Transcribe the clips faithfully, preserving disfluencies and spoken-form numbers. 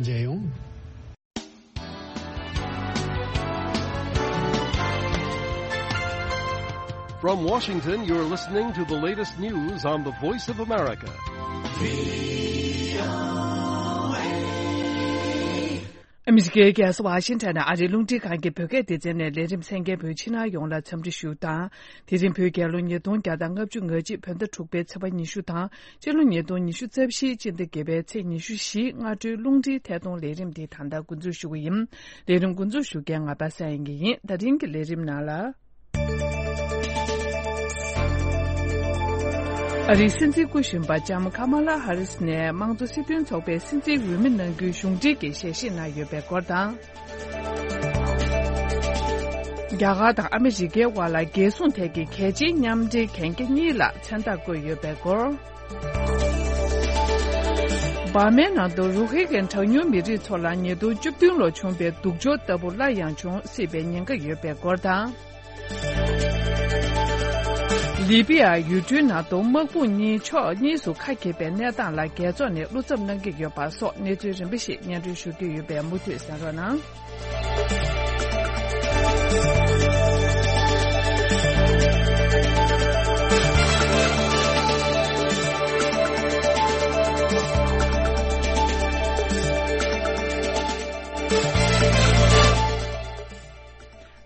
མཇལ་ཡོང་། From Washington, you're listening to the latest news on the Voice of America. ཨ་མི་རི་ཀའི་རྒྱལ་ས་ཝ་ཤིང་ཊོན་ནས་ཨ་རིའི་རླུང་འཕྲིན་ཁང་གི་བོད་སྐད་སྡེ་ཚན་ནས་ལས་རིམ་གསན་མཁན་བོད་ཕྱི་ནང་ཡོངས་ལ་འཚམས་འདྲི་ཞུ་དང་། དེ་རིང་བོད་རྒྱལ་ལོ་ཉིས་སྟོང་བརྒྱ་དང་ལྔ་བཅུ་ང་གཅིག་བོད་ཟླ་དྲུག་པའི་ཚེས་པ་ཉི་ཤུ་དང་། སྤྱི་ལོ་ཉིས་སྟོང་ཉི་ཤུ་རྩ་བཞིའི་སྤྱི་ཟླ་བརྒྱད་པའི་ཚེས་ཉི་ཤུ་བཞི། སྔ་དྲོའི་རླུང་འཕྲིན་ཐད་གཏོང་ལས་རིམ་འདི་ད་ལྟ་འགོ་འཛུགས་ཞུ་གི་ཡིན། ལས་རིམ་འགོ་འཛུགས་ཞུ་མཁན་ང་པ་སངས་དབྱངས་སྐྱིད་ཡིན། ད་རིང་གི་ལས་རིམ་ནང་ལ། ཨ་རིའི་སྲིད་འཛིན་སྐུ་གཞོན་པ་ལྕམ་ཁ་མ་ལ་ཧ་རིས་ནས་དམངས་གཙོ་སྲིད་དོན་ཚོགས་པའི་སྲིད་འཛིན་འོས་མི་གནང་རྒྱུའི་གཞུང་འབྲེལ་གྱི་ཞལ་བཞེས་གནང་ཡོད་པའི་སྐོར་དང་། རྒྱ་གར་དང་ཨ་མི་རི་ཀའི་དབར་ལ་རྒྱལ་སྲུང་ཐད་ཀྱི་གལ་ཆེའི་མཉམ་འབྲེལ་གན་རྒྱ་གཉིས་ལ་མཚན་རྟགས་བཀོད་ཡོད་པའི་སྐོར། འབར་མའི་ནང་དུ་རུ་ཧི་གན་གྲངས་ཉུང་མི་རིགས་ཚོ་ལ་ཉིས་སྟོང་བཅུ་བདུན་ལོར་བྱུང་པའི་སྡུག་སྦྱོར་ལྟ་བུ་སླར་ཡང་འབྱུང་སྲིད་པའི་ཉེན་ཁ་ཡོད་པའི་སྐོར་དང་། ལི་པི་ཡ་ཡུལ་གྲུའི་ནང་དུ་དམག་དཔུང་གཉིས་ཕྱོགས་གཉིས་སུ་ཁ་གྱེས་པའི་གནས་སྟངས་ལ་རྒྱལ་ཚོགས་ནས་བློ་འཚབ་གནང་གི་ཡོད་པ་སོགས་གནས་ཚུལ་རིམ་པ་ཞིག་སྙན་སྒྲོན་ཞུ་རྒྱུ་ཡོད་པས་མུ་མཐུད་གསན་རོགས་གནང་།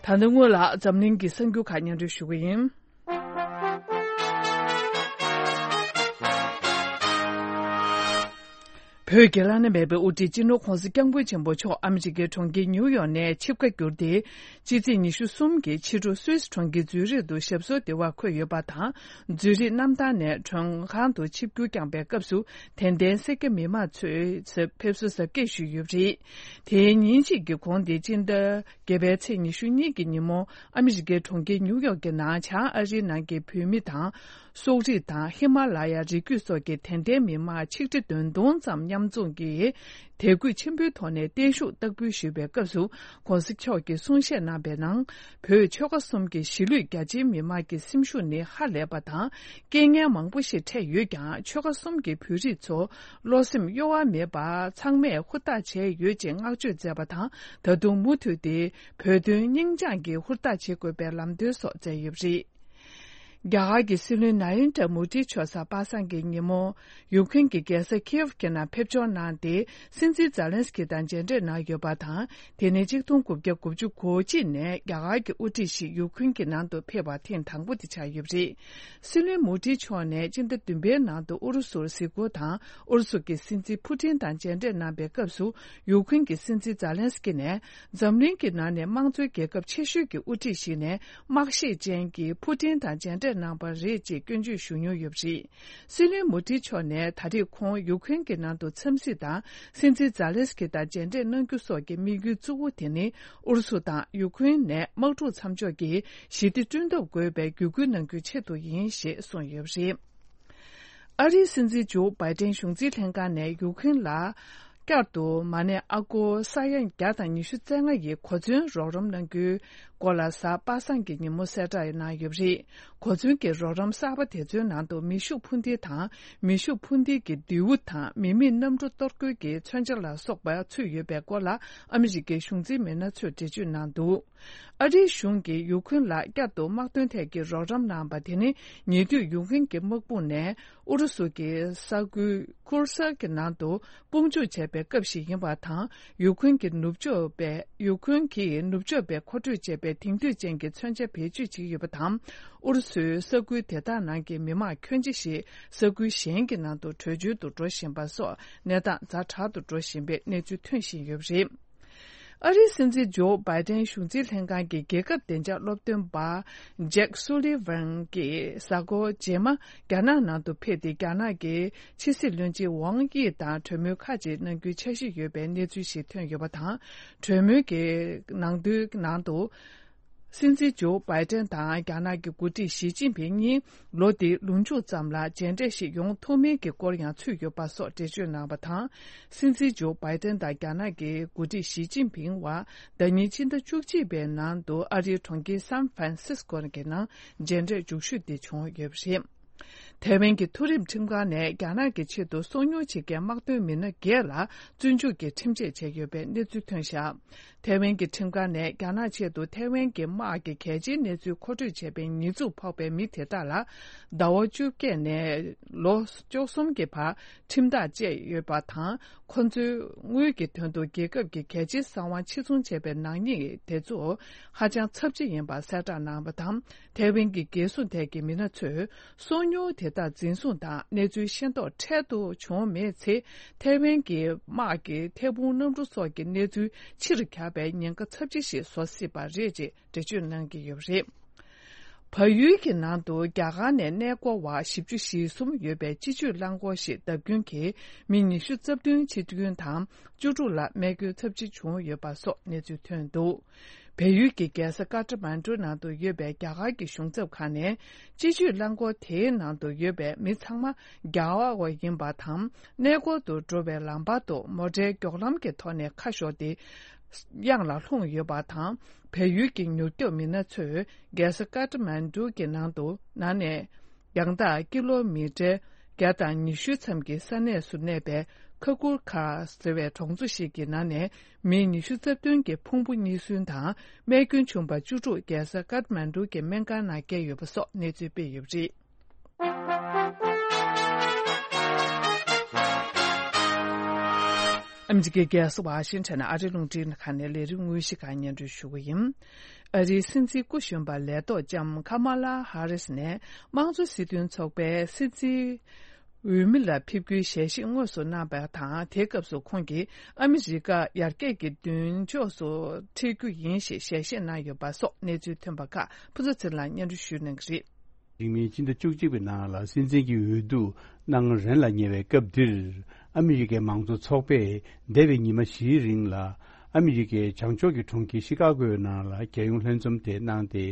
ད་ནི་སྔོན་ལ་འཛམ་གླིང་གི་གསར་འགྱུར་ཁག་སྙན་སྒྲོན་ཞུ་གི་ཡིན། བོད་ཀྱི་བླ་ན་མེད་པའི་དབུ་ཁྲིད་སྤྱི་ནོར་༧གོང་ས་༧སྐྱབས་མགོན་ཆེན་པོ་མཆོག་ཨ་མི་རི་ཀའི་གྲོང་ཁྱེར་ནིའུ་ཡོག་ནས་ཆིབས་ཁ་བསྒྱུར་ཏེ། ཕྱི་ཚེས་ཉི་ཤུ་གསུམ་གྱི་ཕྱི་དྲོ་སུད་སི་གྲོང་ཁྱེར་ཛུ་རིག་ཏུ་ཞབས་སོར་བདེ་བར་འཁོད་ཡོད་པ་དང་། ཛུ་རིག་གནམ་ཐང་ནས་མགྲོན་ཁང་དུ་ཆིབས་བསྒྱུར་བསྐྱངས་པའི་སྐབས་སུ། དད་ལྡན་སེར་སྐྱ་མི་མང་ཚོས་ཕེབས་བསུ་གཟབ་རྒྱས་ཞུས་ཡོད་པ་རེད། དེའི་ཉིན་གཅིག་གི་གོང་དེ་སྤྱི་ཟླ་བརྒྱད་པའི་ཚེས་ཉི་ཤུ་གཉིས་ཀྱི་ཉིན་མོ། ཨ་མི་རི་ཀའི་གྲོང་ཁྱེར་ནིའུ་ཡོག་གི་ནང་བྱང་ཨ་རིའི་ནང་གི་བོད་མི་དང་། སོག་རིགས་དང་ཧི་མ་ལ་ཡ་རི་རྒྱུད་སོགས་ཀྱི་དད་ལྡན་མི་མང་ཆིག་ཁྲི་བདུན་སྟོང་ཙམ་མཉམ་འཛོམས་ཀྱིས། དད་གུས་ཆེན་པོའི་ཐོག་ནས་བརྟན་བཞུགས་བསྟར་འབུལ་ཞུས་པའི་སྐབས་སུ། ༸གོང་ས་མཆོག་གིས་གསུང་བཤད་གནང་པའི་ནང་། བོད་ཆོལ་ཁ་གསུམ་གྱི་གཞིས་ལུས་རྒྱ་ཆེའི་མི་མང་གི་སེམས་ཤུགས་ནི་ཧ་ལས་པ་དང་། རྐྱེན་ངན་མང་པོ་ཞིག་འཕྲད་ཡོད་ཀྱང་། ཆོལ་ཁ་གསུམ་གྱི་བོད་རིགས་ཚོ་བློ་སེམས་གཡོ་བ་མེད་པར་ཚང་མས་ཧུར་ཐག་བྱས་ཡོད་ཅེས་བསྔགས་བརྗོད་མཛད་པ་དང་། ད་དུང་མུ་མཐུད་དེ་བོད་དོན་སྙིང་བཅངས་ཀྱིས་ཧུར་ཐག་བྱེད་དགོས་པའི་ལམ་སྟོན་སོགས་མཛད་ཡོད་པ་རེད། རྒྱ་གར་གྱི་སྲིད་བློན་ན་རེན་དྲ་མོ་དིའི་མཆོག་གཟའ་པ་སངས་ཀྱི་ཉིན་མོ། ཡུཀ་རེན་གྱི་རྒྱལ་ས་ཁིའེབ་ཀྱི་ནང་ཕེབས་འབྱོར་གནང་སྟེ། སྲིད་འཛིན་ཛཱ་ལན་སི་ཀི་དང་མཇལ་འཕྲད་གནང་ཡོད་པ་དང་། དེ་ནས་གཅིག་སྟོང་དགུ་བརྒྱ་དགུ་བཅུ་གོ་གཅིག་ནས་རྒྱ་གར་གྱི་དབུ་ཁྲིད་ཞིག་ཡུཀ་རེན་གྱི་ནང་དུ་ཕེབས་པ་ཐེངས་དང་པོ་དེ་ཆགས་ཡོད་པ་རེད། སྲིད་བློན་མོ་དིའི་མཆོག་ནས་སྤྱི་ཟླ་བདུན་པའི་ནང་དུ་ཨུ་རུ་སུར་གཟིགས་སྐོར་དང་། ཨུ་རུ་སུ་གྱི་སྲིད་འཛིན་ཕུ་ཏིན་དང་མཇལ་འཕྲད་གནང་པའི་སྐབས་སུ། ཡུཀ་རེན་གྱི་སྲིད་འཛིན་ཛཱ་ལན་སི་ཀི་ནས། འཛམ་གླིང་གི་ནང་ནས་དམངས་གཙོའི་རྒྱལ་ཁབ་ཆེ་ཤོས་ཀྱི་དབུ་ཁྲིད་ཞིག་ནས། དམག་ཤེད་ཅན་གྱི་ཕུ་ཏིན་དང་མཇལ་འཕྲད་གནང་པ་རེད་ཅེས་སྐྱོན་བརྗོད་ཞུ་མྱོང་ཡོད་པ་རེད། སྲིད་བློན་མོ་དྷི་མཆོག་ནས་ད་རེས་ཁོང་ཡུ་ཁུན་གྱི་ནང་དུ་འཚམས་གཟིགས་དང་། སྲིད་འཛིན་ཛཱ་ལེན་སི་ཀི་དང་མཇལ་འཕྲད་གནང་རྒྱུ་སོགས་ཀྱི་དམིགས་ཡུལ་གཙོ་བོ་དེ་ནི། ཨུ་རུ་སུ་དང་ཡུ་ཁུན་ནས་དམག་འཁྲུག་མཚམས་འཇོག་གིས་ཞི་བདེ་བསྐྲུན་ཐབས་དགོས་པའི་བརྒྱུད་སྐུལ་གནང་རྒྱུའི་ཆེད་དུ་ཡིན་ཞེས་གསུངས་ཡོད་པ་རེད། ཨ་རིའི་སྲིད་འཛིན་ཇོ་བྷའི་ཏན་གཞུང་འཛིན་ལྷན་ཁང་ནས་ཡུ་ཁུན་ལ། བསྐྱར་དུ་མ་ཎི་ཨ་སྒོར་ས་ཡ་བརྒྱ་དང་ཉི་ཤུ་རྩ་ལྔ་ཡི་གོ་མཚོན་རོགས་རམ་གནང་རྒྱུའི་སྐོར་ལ་གཟའ་པ་སངས་ཀྱི་ཉིན་མོ་གསལ་བསྒྲགས་གནང་ཡོད་པ་རེད། གོ་མཚོན་གྱི་རོགས་རམ་གསར་པ་དེ་ཚོའི་ནང་དུ་མེ་ཤུགས་འཕུར་མདེལ་དང་། མེ་ཤུགས་འཕུར་མདེལ་གྱི་མདེའུ་དང་། མི་མེད་གནམ་གྲུ་གཏོར་རྒོལ་གྱི་མཚོན་ཆ་ལ་སོགས་པ་ཚུད་ཡོད་པའི་སྐོར་ལ་ཨ་མི་རི་ཀའི་གཞུང་འཛིན་མི་སྣ་ཚོས་འགྲེལ་བརྗོད་གནང་འདུག་ཨ་རིའི་གཞུང་གིས་ཡུ་ཁུན་ལ་བསྐྱར་དུ་དམག་དོན་ཐད་ཀྱི་རོགས་རམ་གནང་བ་དེ་ནི། ཉེ་དུས་ཡུ་ཁུན་གྱི་དམག་དཔུང་ནས་ཨུ་རུ་སུ་གྱི་ས་ཁུལ་ཁུར་སར་གྱི་ནང་དུ་དཔུང་འཇུག་བྱས་པའི་སྐབས་ཤིག་ཡིན་པ་དང་། ཡུ་ཁུན་གྱི་ནུབ་ཕྱོགས་པས་ཡུ་ཁུན་གྱིས་ནུབ་ཕྱོགས་པས་མཁོ་སྤྲོད་བྱས་པའི་དེང་དུས་ཅན་གྱི་མཚོན་ཆ་བེད་སྤྱོད་བྱེད་ཀྱི་ཡོད་པ་དང་། ཨུ་རུ་སུའི་ས་ཁུལ་དེ་དག་ནང་གི་མི་མང་ཁྱོན་ཆེ་ཞིག་ས་ཁུལ་གཞན་གྱི་ནང་དུ་བྲོས་བྱོལ་དུ་འགྲོ་བཞིན་པ་སོགས་གནས་སྟངས་ཛ་དྲག་ཏུ་འགྲོ་བཞིན་པའི་གནས་ཚུལ་ཐོན་བཞིན་ཡོད་པ་རེད། ཨ་རིའི་སྲིད་འཛིན་ཇོ་བྷའི་ཏན་གཞུང་འཛིན་ལྷན་ཁང་གི་རྒྱལ་ཁབ་བདེ་འཇགས་སློབ་སྟོན་པ་ཇེག་སུ་ལི་ཝན་གྱིས་གཟའ་འཁོར་རྗེས་མ་རྒྱ་ནག་ནང་དུ་ཕེབས་ཏེ། རྒྱ་ནག་གི་ཕྱི་སྲིད་བློན་ཆེན་ཝང་དབྱི་དང་གྲོས་མོལ་ཁག་ཅིག་གནང་རྒྱུའི་འཆར་གཞི་ཡོད་པའི་གནས་ཚུལ་ཞིག་ཐོན་ཡོད་པ་དང་། གྲོས་མོལ་གྱི་ནང་དོན་ནང་དུ། སྲིད་འཛིན་ཇོ་བྷའི་ཏན་དང་རྒྱ་ནག་གི་འགོ་ཁྲིད་ཞི་ཅིན་ཕིང་གཉིས་ལོ་འདིའི་ལོ་མཇུག་ཙམ་ལ་མཇལ་འཕྲད་ཞིག་ཡོང་ཐུབ་མིན་གྱི་སྐོར་ཡང་ཚུད་ཡོད་པ་སོགས་འགྲེལ་བརྗོད་གནང་བ་དང་། སྲིད་འཛིན་ཇོ་བྷའི་ཏན་དང་རྒྱ་ནག་གི་འགོ་ཁྲིད་ཞི་ཅིན་ཕིང་བར་ཟླ་ཉིན་ཕྱི་ཟླ་བཅུ་གཅིག་པའི་ནང་དུ་ཨ་རིའི་གྲོང་ཁྱེར་སན་ཧྥ་རན་སིས་ཀོ་གི་ནང་མཇལ་འཕྲད་མཇུག་ཞུ་དེ་བྱུང་ཡོད་པ་རེད། ཐའེ་ཝན་གྱི་མཐོ་རིམ་ཁྲིམས་ཁང་ནས་རྒྱ་ནག་གི་ཆེད་དུ་སོ་ཉུལ་བྱེད་མཁན་དམག་དོན་མི་སྣ་བརྒྱད་ལ་བཙོན་འཇུག་གི་ཁྲིམས་ཆད་བཅད་ཡོད་པའི་གནས་ཚུལ་ཐོན་བཞག་ཐའེ་ཝན་གྱི་ཁྲིམས་ཁང་ནས་རྒྱ་ནག་ཆེད་དུ་ཐའེ་ཝན་གྱི་དམག་གི་གལ་ཆེའི་གནས་ཚུལ་མཁོ་སྤྲོད་བྱས་པའི་ཉེས་འཛུགས་ཕོག་པའི་མི་དེ་དག་ལ་ཟླ་བ་བཅོ་བརྒྱད་ནས་ལོ་བཅུ་གསུམ་གྱི་བར་ཁྲིམས་ཐག་བཅད་ཡོད་པ་དང་། ཁོ་ཚོའི་དངུལ་གྱི་དོན་དུ་རྒྱལ་ཁབ་ཀྱི་གལ་ཆེའི་གསང་བ་ཕྱིར་ཚོང་བྱས་པའི་ནག་ཉེས་དེ་ཚོ་ཧ་ཅང་ཚབས་ཆེ་ཡིན་པ་གསལ་བསྒྲགས་གནང་བ་དང་། ཐའེ་ཝན་གྱི་རྒྱལ་སྲུང་ཐད་ཀྱི་མི་སྣ་ཚོས་སོ་ཉུལ་དེ་དག་འཛིན་བཟུང་དང་གནས་ཚུལ་ཤེས་རྟོགས་འཕྲལ་དུ་བྱུང་མེད་ཚེ། ཐའེ་ཝན་གྱི་དམག་གི་ཐད་འཕུར་གནམ་གྲུ་སོགས་ཀྱི་གནས་ཚུལ་ཕྱིར་གྱར་བའི་ཉེན་ཁ་ཚབས་ཆེ་ཞིག་བཟོ་སྲིད་པ་རེད་ཅེས་འགྲེལ་བརྗོད་གནང་གི་ཡོད་པ་རེད། བལ་ཡུལ་གྱི་ནང་དུ་རྒྱ་གར་ནས་གནས་སྐོར་བ་བཞི་བཅུ་ཞེ་གསུམ་ཡོད་པའི་སྤྱི་སྤྱོད་རླངས་འཁོར་ཞིག་བརྡབ་སྐྱོན་གྱིས་མི་ཉི་ཤུ་རྩ་བདུན་འཆི་སྐྱོན་དང་བཅུ་དྲུག་ལ་རྨས་སྐྱོན་ཚབས་ཆེ་བྱུང་ཡོད་པ་སོགས་གནས་ཚུལ་ཐོན་འདུག་བལ་ཡུལ་གྱི་རྒྱལ་ས་ཀ་ཏ་མན་གྲུ་ནང་དུ་ཡོད་པའི་རྒྱ་གར་གྱི་གཞུང་ཚབ་ཁང་ནས་སྤྱི་སྤྱོད་རླངས་འཁོར་དེའི་ནང་དུ་ཡོད་པའི་མི་ཚང་མ་རྒྱ་གར་བ་ཡིན་པ་དང་། གནས་སྐོར་དུ་འགྲོ་བའི་ལམ་བར་དུ་མོ་ཊའི་མགྱོགས་ལམ་གྱི་ཐོག་ནས་ཁ་ཤོར་ཏེ་གཡང་ལ་ལྷུང་ཡོད་པ་དང་། བལ་ཡུལ་གྱི་མྱུར་སྐྱོབ་མི་སྣ་ཚོས་རྒྱལ་ས་ཀ་ཏ་མན་གྲུ་གྱི་ནང་དུ་ནང་ནས་རྒྱང་ཐག་ཀི་ལོ་མི་ཊར་བརྒྱ་དང་ཉི་ཤུ་ཙམ་གྱི་ས་གནས་སུ་གནས་པའི་ཁ་ཀུར་ཁ་ཟེར་བའི་གྲོང་ཚོ་ཞིག་གི་ནང་ནས་མི་ཉི་ཤུ་རྩ་བདུན་གྱི་ཕུང་པོ་རྙེད་སོན་དང་རྨས་སྐྱོན་བྱུང་པ་བཅུ་དྲུག་རྒྱལ་ས་ཀ་ཏ་མན་གྲུ་གྱི་སྨན་ཁང་ནང་བསྐྱལ་ཡོད་པ་སོགས་གནས་ཚུལ་སྤེལ་ཡོད་པ་རེད། ཨ་མི་རི་ཀའི་རྒྱལ་ས་ཝ་ཤིང་ཊོན་ཨ་རིའི་རླུང་འཕྲིན་ཁང་ནས་ལས་རིམ་དངོས་གཞི་ཁག་སྙན་སྒྲོན་ཞུ་གི་ཡིན། ཨ་རིའི་སྲིད་འཛིན་སྐུ་གཞོན་པ་ལས་ཐོག་ལྕམ་ཁ་མ་ལ་ཧ་རིས་ནས་དམངས་གཙོ་སྲིད་དོན་ཚོགས་པའི་སྲིད་འཛིན་འོས་མི་ལ་ཕེབས་རྒྱུའི་ཞལ་བཞེས་དངོས་སུ་གནང་བ་དང་། དེའི་སྐབས་སུ་ཁོང་གིས་ཨ་མི་རི་ཀ་ཡར་རྒྱས་ཀྱི་མདུན་ཕྱོགས་སུ་ཁྲིད་རྒྱུ་ཡིན་ཞེས་ཞལ་བཞེས་གནང་ཡོད་པ་སོགས་གནས་ཚུལ་ཐོན་པ་ཁག་ཕུན་ཚོགས་ཚེ་རིང་ལགས་སྙན་སྒྲོན་ཞུ་གནང་གི་རེད། རིང་མིན་སྤྱི་ཟླ་བཅུ་གཅིག་པའི་ནང་ལ་སྲིད་འཛིན་གྱི་འོས་བསྡུ་གནང་རན་ལ་ཉེ་བའི་སྐབས་འདིར། ཨ་མི་རི་ཀའི་མང་གཙོ་ཚོགས་པས་འདས་པའི་ཉི་མ་བཞིའི་རིང་ལ་ཨ་མི་རི་ཀའི་བྱང་ཕྱོགས་ཀྱི་གྲོང་ཁྱེར་ཤི་ཀ་གོའི་ནང་ལ་རྒྱལ་ཡོངས་ལྷན་འཛོམས་དེ་གནང་སྟེ།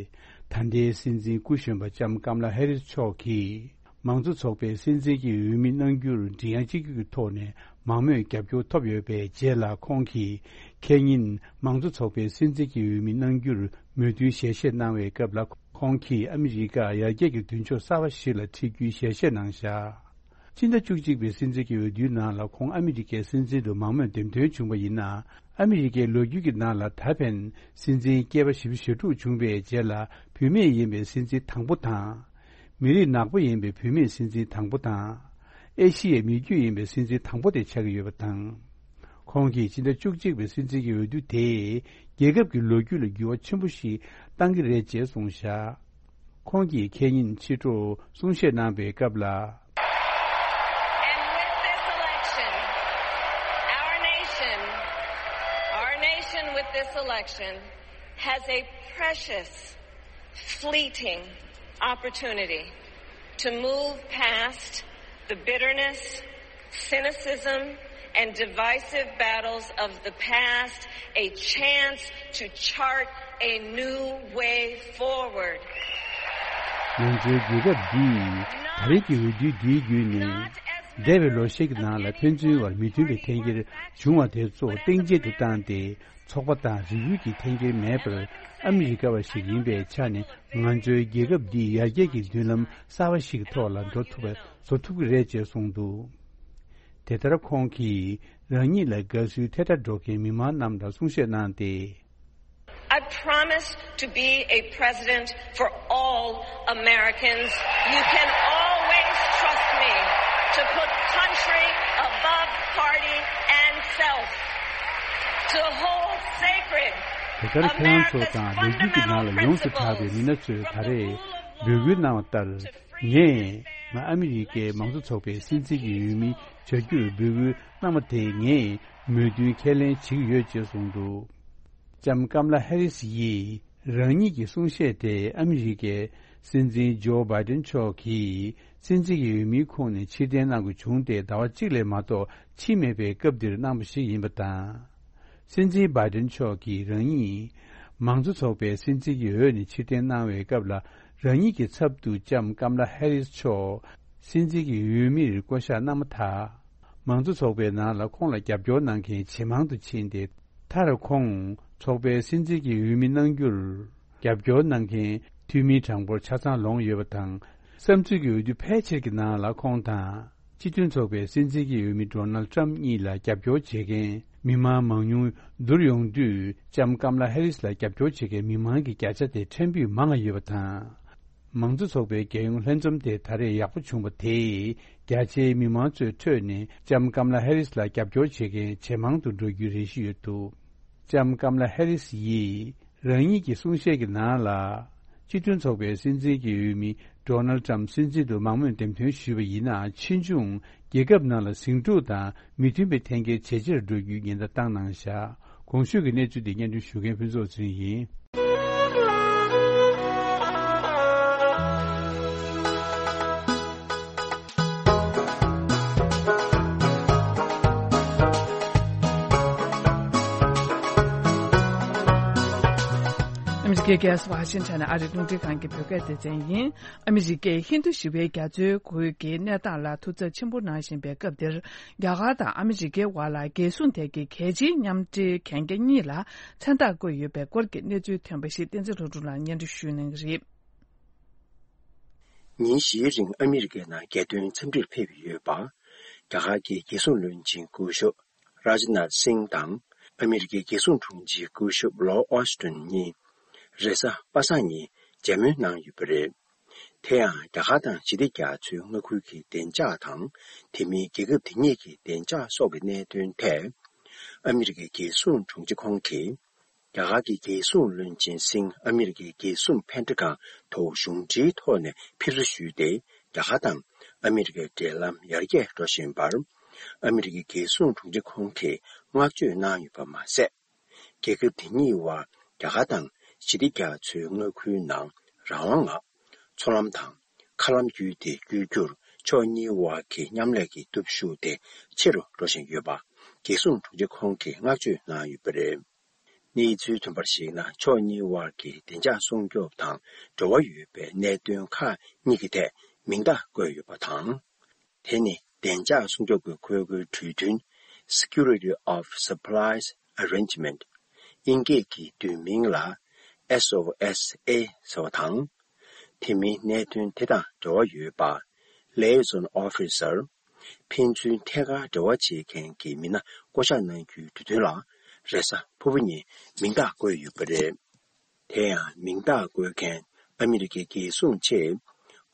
ད་ལྟའི་སྲིད་འཛིན་སྐུ་གཞོན་པ་ལྕམ་ཀམ་ལ་ཧེ་རིས་མཆོག་གིས་མང་གཙོ་ཚོགས་པའི་སྲིད་འཛིན་གྱི་འོས་མི་གནང་རྒྱུར་མགྲིན་དབྱངས་གཅིག་གྱུར་གྱི་ཐོག་ནས་མང་མོས་རྒྱབ་སྐྱོར་ཐོབ་ཡོད་པའི་རྗེས་ལ། ཁོང་གིས་ཁེ་ཉིན་མང་གཙོ་ཚོགས་པའི་སྲིད་འཛིན་གྱི་འོས་མི་གནང་རྒྱུར་མོས་མཐུན་ཞལ་བཞེས་གནང་བའི་སྐབས་ལ། ཁོང་གིས་ཨ་མི་རི་ཀ་ཡར་རྒྱས་ཀྱི་མདུན་ཕྱོགས་གསར་བ་ཞིག་ལ་ཁྲིད་རྒྱུའི་ཞལ་བཞེས་གནང་བཞག་སྤྱི་ཟླ་བཅུ་གཅིག་པའི་སྲིད་འཛིན་གྱི་འོས་བསྡུའི་ནང་ལ་ཁོང་ཨ་མི་རི་ཀའི་སྲིད་འཛིན་དུ་མང་མོས་འདེམས་ཐོན་བྱུང་བ་ཡིན་ན། ཨ་མི་རི་ཀའི་ལོ་རྒྱུས་ཀྱི་ནང་ལ་ད་ཕན་སྲིད་འཛིན་སྐྱེས་པ་བཞི་བཅུ་ཞེ་དྲུག་བྱུང་བའི་རྗེས་ལ་བུད་མེད་ཡིན་པའི་སྲིད་འཛིན་དང་པོ་དང་། མི་རིགས་ནག་པོ་ཡིན་པའི་བུད་མེད་སྲིད་འཛིན་དང་པོ་དང་། ཨེ་ཤི་ཡའི་མི་རྒྱུད་ཡིན་པའི་སྲིད་འཛིན་དང་པོ་དེ་ཆགས་ཀྱི་ཡོད་པ་དང་། ཁོང་གིས་ཕྱི་ཟླ་བཅུ་གཅིག་པའི་སྲིད་འཛིན་གྱི་འོས་བསྡུ་དེས་རྒྱལ་ཁབ་ཀྱི་ལོ་རྒྱུས་ལ་འགྱུར་བ་ཆེན་པོ་ཞིག་བཏང་གི་རེད་ཅེས་གསུངས་བཞག་ཁོང་གིས་ཁེ་ཉིན་ཕྱི་དྲོ་གསུང་བཤད་གནང་བའི་སྐབས་ལ། And with this election, our nation, our nation with this election has a precious, fleeting opportunity to move past the bitterness, cynicism, and divisive battles of the past, a chance to chart a new way forward. ང་ཚོའི་རྒྱལ་ཁབ་འདིས་ད་རེས་ཀྱི་འོས་བསྡུ་འདིའི་བརྒྱུད་ནས་འདས་པའི་ལོ་ཤས་ཀྱི་ནང་ལ་ཕན་ཚུན་བར་མི་མཐུན་པའི་འཐེན་འཁྱེར་བྱུང་བ་དེ་ཚོ་གཏིང་བརྗེད་དུ་བཏང་སྟེ། ཚོགས་པ་དང་རིགས་རུས་ཀྱི་འཐེན་འཁྱེར་མེད་པར་ཨ་མི་རི་ཀ་བ་ཞིག་ཡིན་པའི་ཆ་ནས་ང་ཚོའི་རྒྱལ་ཁབ་འདི་ཡར་རྒྱས་ཀྱི་མདུན་ལམ་གསར་བ་ཞིག་གི་ཐོག་ལ་འགྲོ་ཐུབ་པ་བཟོ་ཐུབ་ཀྱི་རེད་ཅེས་གསུངས་འདུག་དེ་ལྟར་ཁོང་གིས་རང་ཉིད་ལ་དགའ་བསུའི་ཐལ་སྒྲ་སྒྲོག་མཁན་མི་མང་རྣམས་ལ་གསུང་བཤད་གནང་སྟེ། I promise to be a president for all Americans. You can always trust me to put country above party and self, to hold sacred དེ་ལྟར་ཁྱེད་རང་ཚོ་དང་ལོ་རྒྱུས་ཀྱི་ནང་ལ་ཡོངས་སུ་གྲགས་པའི་མི་སྣ་ཚོས་ད་རེས་འབོད་སྐུལ་གནང་བ་ལྟར། ངས་ང་ཨ་མི་རི་ཀའི་མང་གཙོ་ཚོགས་པའི་སྲིད་འཛིན་གྱི་འོས་མི་བྱ་རྒྱུར་འབོད་སྐུལ་གནང་བ་དེ་ངས་མོས་མཐུན་ཁས་ལེན་བྱེད་ཀྱི་ཡོད་ཅེས་གསུངས་འདུག་ལྕམ་ཀམ་ལ་ཧེ་རིས་ཡིས་རང་ཉིད་ཀྱི་གསུང་བཤད་དེ་ཨ་མི་རི་ཀའི་སྲིད་འཛིན་ཇོ་བྷའི་ཏིན་མཆོག་གིས་སྲིད་འཛིན་གྱི་འོས་མིའི་ཁོངས་ནས་ཕྱིར་འཐེན་གནང་དགོས་བྱུང་སྟེ་ཟླ་བ་གཅིག་ལས་མ་གཏོགས་ཕྱིན་མེད་པའི་སྐབས་འདིར་གནང་བ་ཞིག་ཡིན་པ་དང་། སྲིད་འཛིན་བྷའི་ཏིན་མཆོག་གིས་རང་ཉིད་མང་གཙོ་ཚོགས་པའི་སྲིད་འཛིན་གྱི་འོས་ནས་ཕྱིར་འཐེན་གནང་བའི་སྐབས་ལ། རང་ཉིད་ཀྱི་ཚབ་ཏུ་ལྕམ་ཀམ་ལ་ཧེ་རིས་མཆོག་སྲིད་འཛིན་གྱི་འོས་མིར་བསྐོ་གཞག་གནང་མ་ཐག་མང་གཙོ་ཚོགས་པའི་ནང་ལ་ཁོང་ལ་རྒྱབ་སྐྱོར་གནང་མཁན་ཇེ་མང་དུ་ཕྱིན་ཏེ། མཐར་ཁོང་ཚོགས་པའི་སྲིད་འཛིན་གྱི་འོས་མི་གནང་རྒྱུར་རྒྱབ་སྐྱོར་གནང་མཁན་འཐུས་མིའི་གྲངས་འབོར་ཆ་ཚང་ལོངས་ཡོད་པ་དང་ བསམ་ཚུལ་གྱི་འོས་བསྡུ་ཕལ་ཆེར་གྱི་ནང་ལ་ཁོང་དང་། སྤྱི་མཐུན་ཚོགས་པའི་སྲིད་འཛིན་གྱི་འོས་མི་ཌོ་ནལ་ཊམ་གཉིས་ལ་རྒྱབ་སྐྱོར་བྱེད་མཁན་མི་མང་མང་ཉུང་བསྡུར་ཡོང་དུས་ལྕམ་ཀམ་ལ་ཧེ་རིས་ལ་རྒྱབ་སྐྱོར་བྱེད་མཁན་མི་མང་གི་བརྒྱ་ཆ་དེ་ཕྲན་བུས་མང་བ་ཡོད་པ་དང་། མང་གཙོ་ཚོགས་པའི་རྒྱལ་ཡོངས་ལྷན་འཛོམས་དེ་ད་རེས་ཡག་པོ་བྱུང་བ་དེས་རྒྱ་ཆེའི་མི་མང་ཚོའི་ཁྲོད་ནས་ལྕམ་ཀམ་ལ་ཧེ་རིས་ལ་རྒྱབ་སྐྱོར་བྱེད་མཁན་ཇེ་མང་དུ་འགྲོ་རྒྱུའི་རེ་ཞུ་ཡོད་འདུག་ལྕམ་ཀམ་ལ་ཧེ་རིས་ཡིས་རང་ཉིད་ཀྱི་གསུང་བཤད་ཀྱི་ནང་ལ། སྤྱི་མཐུན་ཚོགས་པའི་སྲིད་འཛིན་གྱི་འོས་མི་ཌོ་ནལ་ཊམ་སྲིད་འཛིན་དུ་མང་མོས་འདེམས་ཐོན་ཞུས་པ་ཡིན་ན། ཕྱིས་འབྱུང་རྒྱལ་ཁབ་ནང་ལ་ཟིང་འཁྲུག་དང་མི་མཐུན་པའི་འཐེན་འཁྱེར་ཇེ་ཆེར་འགྲོ་རྒྱུའི་ཉེན་བརྡ་བཏང་གནང་བཞག་གོང་ཞུས་ཀྱི་གནས་ཚུལ་འདི་སྙན་སྒྲོན་ཞུ་མཁན་ཕུན་ཚོགས་ཚེ་རིང་ཡིན། ཨ་མི་རི་ཀའི་རྒྱལ་ས་ཝ་ཤིང་ཊོན་ནས་ཨ་རིའི་རླུང་འཕྲིན་ཁང་གི་བོད་སྐད་སྡེ་ཚན་ཡིན། ཨ་མི་རི་ཀས་ཧིན་རྡུ་ཞི་བའི་རྒྱ་མཚོའི་ཁུལ་གྱི་གནས་སྟངས་ལ་ཐུགས་འཚབ་ཆེན་པོ་གནང་བཞིན་པའི་སྐབས་འདིར། རྒྱ་གར་དང་ཨ་མི་རི་ཀའི་དབར་ལ་རྒྱལ་སྲུང་ཐད་ཀྱི་གལ་ཆེའི་མཉམ་འབྲེལ་གན་རྒྱ་གཉིས་ལ་མཚན་རྟགས་བཀོད་ཡོད་པའི་སྐོར་གྱི་གནས་ཚུལ་ཐོན་པ་ཞིག་བསྟན་འཛིན་ལྷུན་གྲུབ་ལགས་སྙན་སྒྲོན་ཞུ་གནང་གི་རེད། ཉིན་བཞིའི་རིང་ཨ་མི་རི་ཀའི་ནང་རྒྱལ་དོན་འཚམས་འདྲིར་ཕེབས་ཡོད་པ། རྒྱ་གར་གྱི་རྒྱལ་སྲུང་བློན་ཆེན་སྐུ་ཞབས་རཱཇ་ནཱཐ་སིང་དང་། ཨ་མི་རི་ཀའི་རྒྱལ་སྲུང་དྲུང་ཆེ་སྐུ་ཞབས་ལོར་ཨོ་སི་ཊོན་གཉིས་རེས་གཟའ་པ་སངས་ཉིན་མཇལ་མོལ་གནང་ཡོད་པ་རེད། དེ་ཡང་རྒྱ་གར་དང་ཞི་བདེ་རྒྱ་མཚོའི་མངའ་ཁུལ་གྱི་བདེ་འཇགས་དང་། དེ་མིན་རྒྱལ་ཁབ་དེ་གཉིས་ཀྱི་བདེ་འཇགས་སོགས་ཀྱི་གནད་དོན་ཐད། ཨ་མི་རི་ཀའི་རྒྱལ་སྲུང་དྲུང་ཆེ་ཁོང་གིས། རྒྱ་གར་གྱི་རྒྱལ་སྲུང་བློན་ཆེན་སིང་ཨ་མི་རི་ཀའི་རྒྱལ་སྲུང་ཕན་ཁྲི་ཁང་དུ་གཞུང་འབྲེལ་ཐོག་ནས་ཕེབས་བསུ་ཞུས་ཏེ། རྒྱ་གར་དང་ཨ་མི་རི་ཀའི་འབྲེལ་ལམ་ཡར་རྒྱས་འགྲོ་བཞིན་པར། ཨ་མི་རི་ཀའི་རྒྱལ་སྲུང་དྲུང་ཆེ་ཁོང་གིས་བསྔགས་བརྗོད་གནང་ཡོད་པ་མ་ཟད། རྒྱལ་ཁབ་དེ་གཉིས་དབར་རྒྱ་གར་དང་ཞི་བདེ་རྒྱ་མཚོའི་མངའ་ཁུལ་ནང་རང་དབང་ངང་མཚོ་ལམ་དང་མཁའ་ལམ་བརྒྱུད་དེ་བསྐྱོད་རྒྱུར་ཕྱོགས་གཉིས་དབར་གྱི་མཉམ་ལས་ཀྱི་སྟོབས་ཤུགས་དེ་ཆེ་རུ་འགྲོ་བཞིན་ཡོད་པ་རྒྱལ་སྲུང་དྲུང་ཆེ་ཁོང་གིས་བསྔགས་བརྗོད་གནང་ཡོད་པ་རེད། གནས་ཚུལ་ཐོན་པར་གཞིགས་ན། ཕྱོགས་གཉིས་དབར་གྱི་བདེ་འཇགས་སྲུང་སྐྱོབ་དང་འབྲེལ་བ་ཡོད་པའི་གནད་དོན་ཁག་གཉིས་ཀྱི་ཐད་མིང་རྟགས་བཀོད་ཡོད་པ་དང་། དེ་ནི་བདེ་འཇགས་སྲུང་སྐྱོབ་ཀྱི་ཁུལ་གྱི་གྲོས་མཐུན། Security of Supplies Arrangement། དབྱིན་སྐད་ཀྱི་བསྡུས་མིང་ལ་S O S A ཟེར་བ་དང་། དེ་མིན་གནད་དོན་དེ་དང་འབྲེལ་བ་ཡོད་པ། Liaison Officer། ཕན་ཚུན་ཐད་ཀར་འབྲེལ་བ་བྱེད་མཁན་གྱི་མི་སྣ་བསྐོ་གཞག་གནང་རྒྱུའི་གྲོས་མཐུན་ལ་རེས་གཟའ་ཕུར་བུ་ཉིན་མིང་རྟགས་བཀོད་ཡོད་པ་རེད། དེ་ཡང་མིང་རྟགས་བཀོད་མཁན་ཨ་མི་རི་ཀའི་རྒྱལ་སྲུང་ཆེད་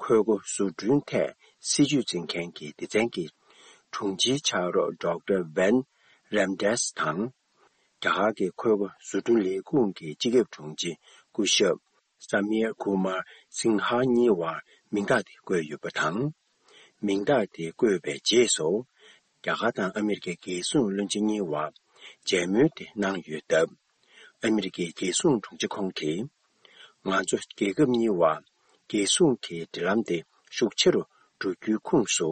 ཁོལ་སྒོ་བཟོ་སྐྲུན་ཐད་སྲིད་ཇུས་འཛིན་མཁན་གྱི་སྡེ་ཚན་གྱི་དྲུང་ཆེའི་ཕྱག་རོགས་Doctor Van Ramdes དང་། རྒྱ་གར་གྱི་ཁོལ་སྒོ་བཟོ་སྐྲུན་ལས་ཁུངས་ཀྱི་སྤྱི་ཁྱབ་དྲུང་ཆེ་སྐུ་ཞབས་Samir Kumar Sinha གཉིས་དབར་མིང་རྟགས་དེ་བཀོད་ཡོད་པ་དང་། མིང་རྟགས་དེ་བཀོད་པའི་རྗེས་སུ། རྒྱ་གར་དང་ཨ་མི་རི་ཀའི་རྒྱལ་སྲུང་བློན་ཆེན་གཉིས་དབར་མཇལ་མོལ་དེ་གནང་ཡོད་སྟབས། ཨ་མི་རི་ཀའི་རྒྱལ་སྲུང་དྲུང་ཆེ་ཁོང་གིས། ང་ཚོ་རྒྱལ་ཁབ་གཉིས་དབར་རྒྱལ་སྲུང་གི་འབྲེལ་ལམ་དེ་ཤུགས་ཆེ་རུ་འགྲོ་རྒྱུའི་ཁོངས་སུ།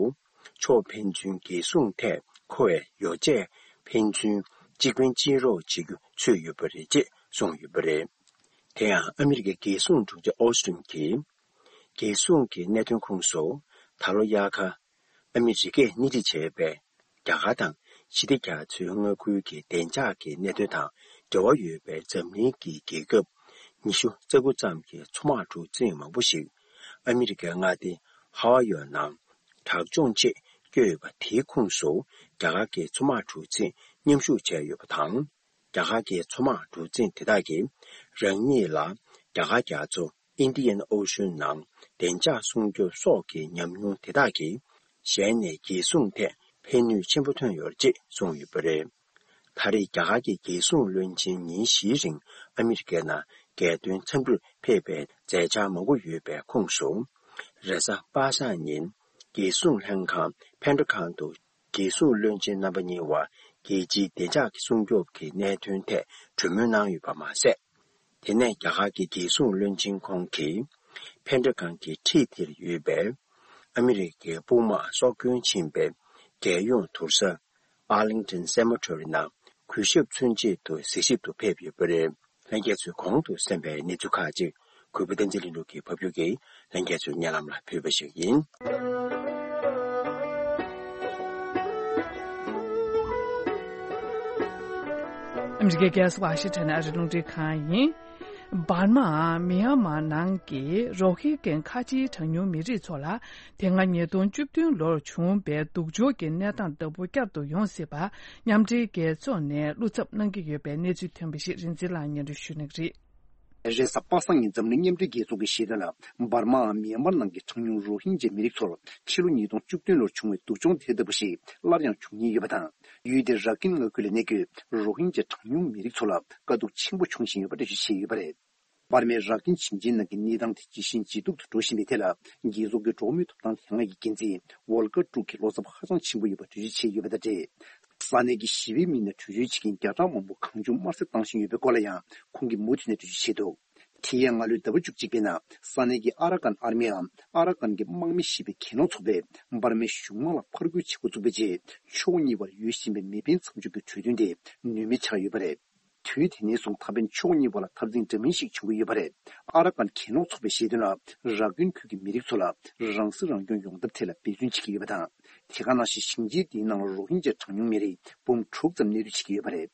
ཕྱོགས་ཕན་ཚུན་རྒྱལ་སྲུང་ཐད་མཁོ་བའི་ཡོ་བྱད་ཕན་ཚུན་གཅིག་ཕན་གཅིག་རོགས་བྱེད་རྒྱུ་ཚུད་ཡོད་པ་རེད་ཅེས་གསུངས་ཡོད་པ་རེད། དེ་ཡང་ཨ་མི་རི་ཀའི་རྒྱལ་སྲུང་དྲུང་ཆེ་ཨོ་སི་ཊིན་གྱིས། རྒྱལ་སྲུང་གི་གནད་དོན་ཁོངས་སུ་ད་ལོ་དབྱར་ཁར་ཨ་མི་རི་ཀས་སྣེ་ཁྲིད་བྱས་པའི་རྒྱ་གར་དང་ཞི་བདེ་རྒྱ་མཚོའི་མངའ་ཁུལ་གྱི་བདེ་འཇགས་ཀྱི་གནད་དོན་དང་འབྲེལ་བ་ཡོད་པའི་འཛམ་གླིང་གི་རྒྱལ་ཁབ་ཉི་ཤུ་རྩ་དགུ་ཙམ་གྱི་མཚོ་དམག་གྲུ་གཟིངས་མང་པོ་ཞིག་ཨ་མི་རི་ཀའི་མངའ་སྡེ་ཧ་ཝ་ཡོ་ནང་དྲག་སྦྱོང་ཆེད་བསྐྱོད་ཡོད་པ་དེའི་ཁོངས་སུ་རྒྱ་གར་གྱི་མཚོ་དམག་གྲུ་གཟིངས་མཉམ་ཞུགས་བྱས་ཡོད་པ་དང་། རྒྱ་གར་གྱི་མཚོ་དམག་གྲུ་གཟིངས་དེ་དག་གིས་རང་ཉིད་ལ་རྒྱ་གར་རྒྱ་མཚོ་Indian Ocean ནང་བདེ་འཇགས་སྲུང་སྐྱོབ་སོགས་ཀྱི་ཉམས་མྱོང་དེ་དག་གིས་གཞན་ནས་རྒྱལ་སྲུང་ཐད་ཕན་ནུས་ཆེན་པོ་ཐོན་ཡོད་ཅེས་གསུངས་ཡོད་པ་རེད། ད་རེས་རྒྱ་གར་གྱི་རྒྱལ་སྲུང་བློན་ཆེན་ཉིན་བཞིའི་རིང་ཨ་མི་རི་ཀའི་ནང་རྒྱལ་དོན་འཚམས་འདྲིར་ཕེབས་པའི་མཛད་འཆར་མང་པོ་ཡོད་པའི་ཁོངས་སུ། རེས་གཟའ་པ་སངས་ཉིན་རྒྱལ་སྲུང་ལྷན་ཁང་ཕན་ཁྲི་ཁང་དུ་རྒྱལ་སྲུང་བློན་ཆེན་རྣམ་པ་གཉིས་དབར་རྒྱལ་སྤྱིའི་བདེ་འཇགས་ཀྱི་སྲུང་སྐྱོབ་ཀྱི་གནད་དོན་ཐད་གྲོས་མོལ་གནང་ཡོད་པ་མ་ཟད། དེ་ནས་རྒྱ་གར་གྱི་རྒྱལ་སྲུང་བློན་ཆེན་ཁོང་གིས་ཕན་ཁྲི་ཁང་གི་འཁྲིས་དེར་ཡོད་པའི་ཨ་མི་རི་ཀའི་དཔུང་དམག་སྲོག་སྐྱོན་ཕྱིན་པའི་རྒྱལ་ཡོངས་དུར་ས་Arlington Cemetery ནང་གུས་ཞབས་མཚོན་ཆེད་དུ་གཟིགས་ཞིབ་ཏུ་ཕེབས་ཡོད་པ་རེད། ལྷན་རྒྱས་ཚོས་གོང་དུ་གསན་པའི་གནས་ཚུལ་ཁག་ཅིག་གུས་པ་བསྟན་འཛིན་ལྷུན་གྲུབ་ཀྱིས་ཕབ་སྒྱུར་གྱིས་ལྷན་རྒྱས་ཚོའི་སྙན་ལམ་ལ་ཕུལ་བ་ཞིག་ཡིན། ཨ་མི་རི་ཀའི་རྒྱལ་ས་ཝ་ཤིང་ཊོན་ནས་ཨ་རིའི་རླུང་འཕྲིན་ཁང་ཡིན། འབར་མ་མི་ཡན་མར་ནང་གི་རོ་ཧིན་གྱན་ཁ་ཆེའི་གྲངས་ཉུང་མི་རིགས་ཚོ་ལ། དེ་སྔ་ཉིས་སྟོང་བཅུ་བདུན་ལོར་བྱུང་བའི་སྡུག་སྦྱོང་གི་གནས་སྟངས་ལྟ་བུ་བསྐྱར་དུ་ཡོང་སྲིད་པ། མཉམ་འབྲེལ་རྒྱལ་ཚོགས་ནས་བློ་འཚབ་གནང་གི་ཡོད་པའི་གནས་ཚུལ་ཐོན་པ་ཞིག་རིན་འཛིན་ལགས་སྙན་སྒྲོན་ཞུ་གནང་གི་རེད། རེས་གཟའ་པ་སངས་ཉིན་འཛམ་གླིང་མཉམ་འབྲེལ་རྒྱལ་ཚོགས་ཀྱི་བཤད་དོན་ལ། འབར་མའམ་མི་ཡན་མར་ནང་གི་གྲངས་ཉུང་རོ་ཧིན་ཇཱ་མི་རིགས་ཚོར་ཕྱི་ལོ་ཉིས་སྟོང་བཅུ་བདུན་ལོར་བྱུང་བའི་སྡུག་སྦྱོང་དེ་ལྟ་བུ་ཞིག་སླར་ཡང་འབྱུང་ཉེན་ཡོད་པ་དང་། ཡུལ་དེའི་ར་ཀིན་མངའ་ཁུལ་ལ་གནས་འཁོད་རོ་ཧིན་ཇཱ་གྲངས་ཉུང་མི་རིགས་ཚོ་ལ་དཀའ་སྡུག་ཆེན་པོ་འབྱུང་བཞིན་ཡོད་པ་འགྲེལ་བརྗོད་བྱས་ཡོད་པ་རེད། འབར་མའི་ར་ཀིན་ཞིང་ཆེན་ནང་གི་གནས་སྟངས་དེ་ཇེ་ཞན་ཇེ་སྡུག་ཏུ་འགྲོ་བཞིན་པའི་ཐད་ལ། རྒྱལ་ཚོགས་ཀྱི་འགྲོ་བ་མིའི་ཐོབ་ཐང་ལྷན་ཁང་གི་འགན་འཛིན་ཝོལ་ཀར་ཀྲུག་གིས་བློ་འཚབ་ཧ་ཅང་ཆེན་པོ་ཡོད་པ་འགྲེལ་བརྗོད་བྱས་ཡོད་པ་དང་འབྲེལ། ས་གནས་ཀྱི་ཞི་བའི་མི་སྣ་བྲོས་བྱོལ་བྱེད་མཁན་བརྒྱ་ཕྲག་མང་པོ་གང་བྱུང་དམར་གསོད་བཏང་བཞིན་ཡོད་པའི་སྐོར་ལ་ཡང་ཁོང་གིས་མུ་མཐུད་ནས་འགྲེལ་བརྗོད་བྱས་འདུག་དེ་ཡང་སྔ་ལོའི་ཟླ་བ་བཅུ་གཅིག་པའི་ནང་ས་གནས་ཀྱི་ཨ་ར་ཀན་ཨར་མིའམ་ཨ་ར་ཀན་གྱི་དམག་མི་ཞེས་པའི་གྱེན་ལོག་ཚོགས་པས་འབར་མའི་གཞུང་དམག་ལ་ཕར་རྒོལ་བྱེད་འགོ་བཙུགས་པའི་རྗེས། ཕྱོགས་གཉིས་བར་ཡོད་བཞིན་པའི་མེ་འཕེན་མཚམས་འཇོག་གི་གྲོས་མཐུན་དེ་ནུས་མེད་ཆགས་ཡོད་པ་རེད། དུས་དེ་ནས་བཟུང་ད་ཕན་ཕྱོགས་གཉིས་བར་ལ་འཐབ་འཛིང་འདྲ་མིན་ཞིག་བྱུང་གི་ཡོད་པ་རེད། ཨ་ར་ཀན་གྱེན་ལོག་ཚོགས་པས་བཤད་དོན་ལ། ར་ཀུན་ཁུལ་གྱི་མི་རིགས་ཚོ་ལ་རང་སྲིད་རང་སྐྱོང་ཡོང་ཐབས་ཐད་ལ་འབད་བརྩོན་བྱེད་ཀྱི་ཡོད་པ་དང་། དེ་ག་ནང་བཞིན་ཞིང་ཆེན་དེའི་ནང་ལ་རོ་ཧིན་ཇཱ་གྲངས་ཉུང་མི་རིགས་འབུམ་དྲུག་ཙམ་གནས་སྡོད་བྱེད་ཀྱི་ཡོད་པ་རེད།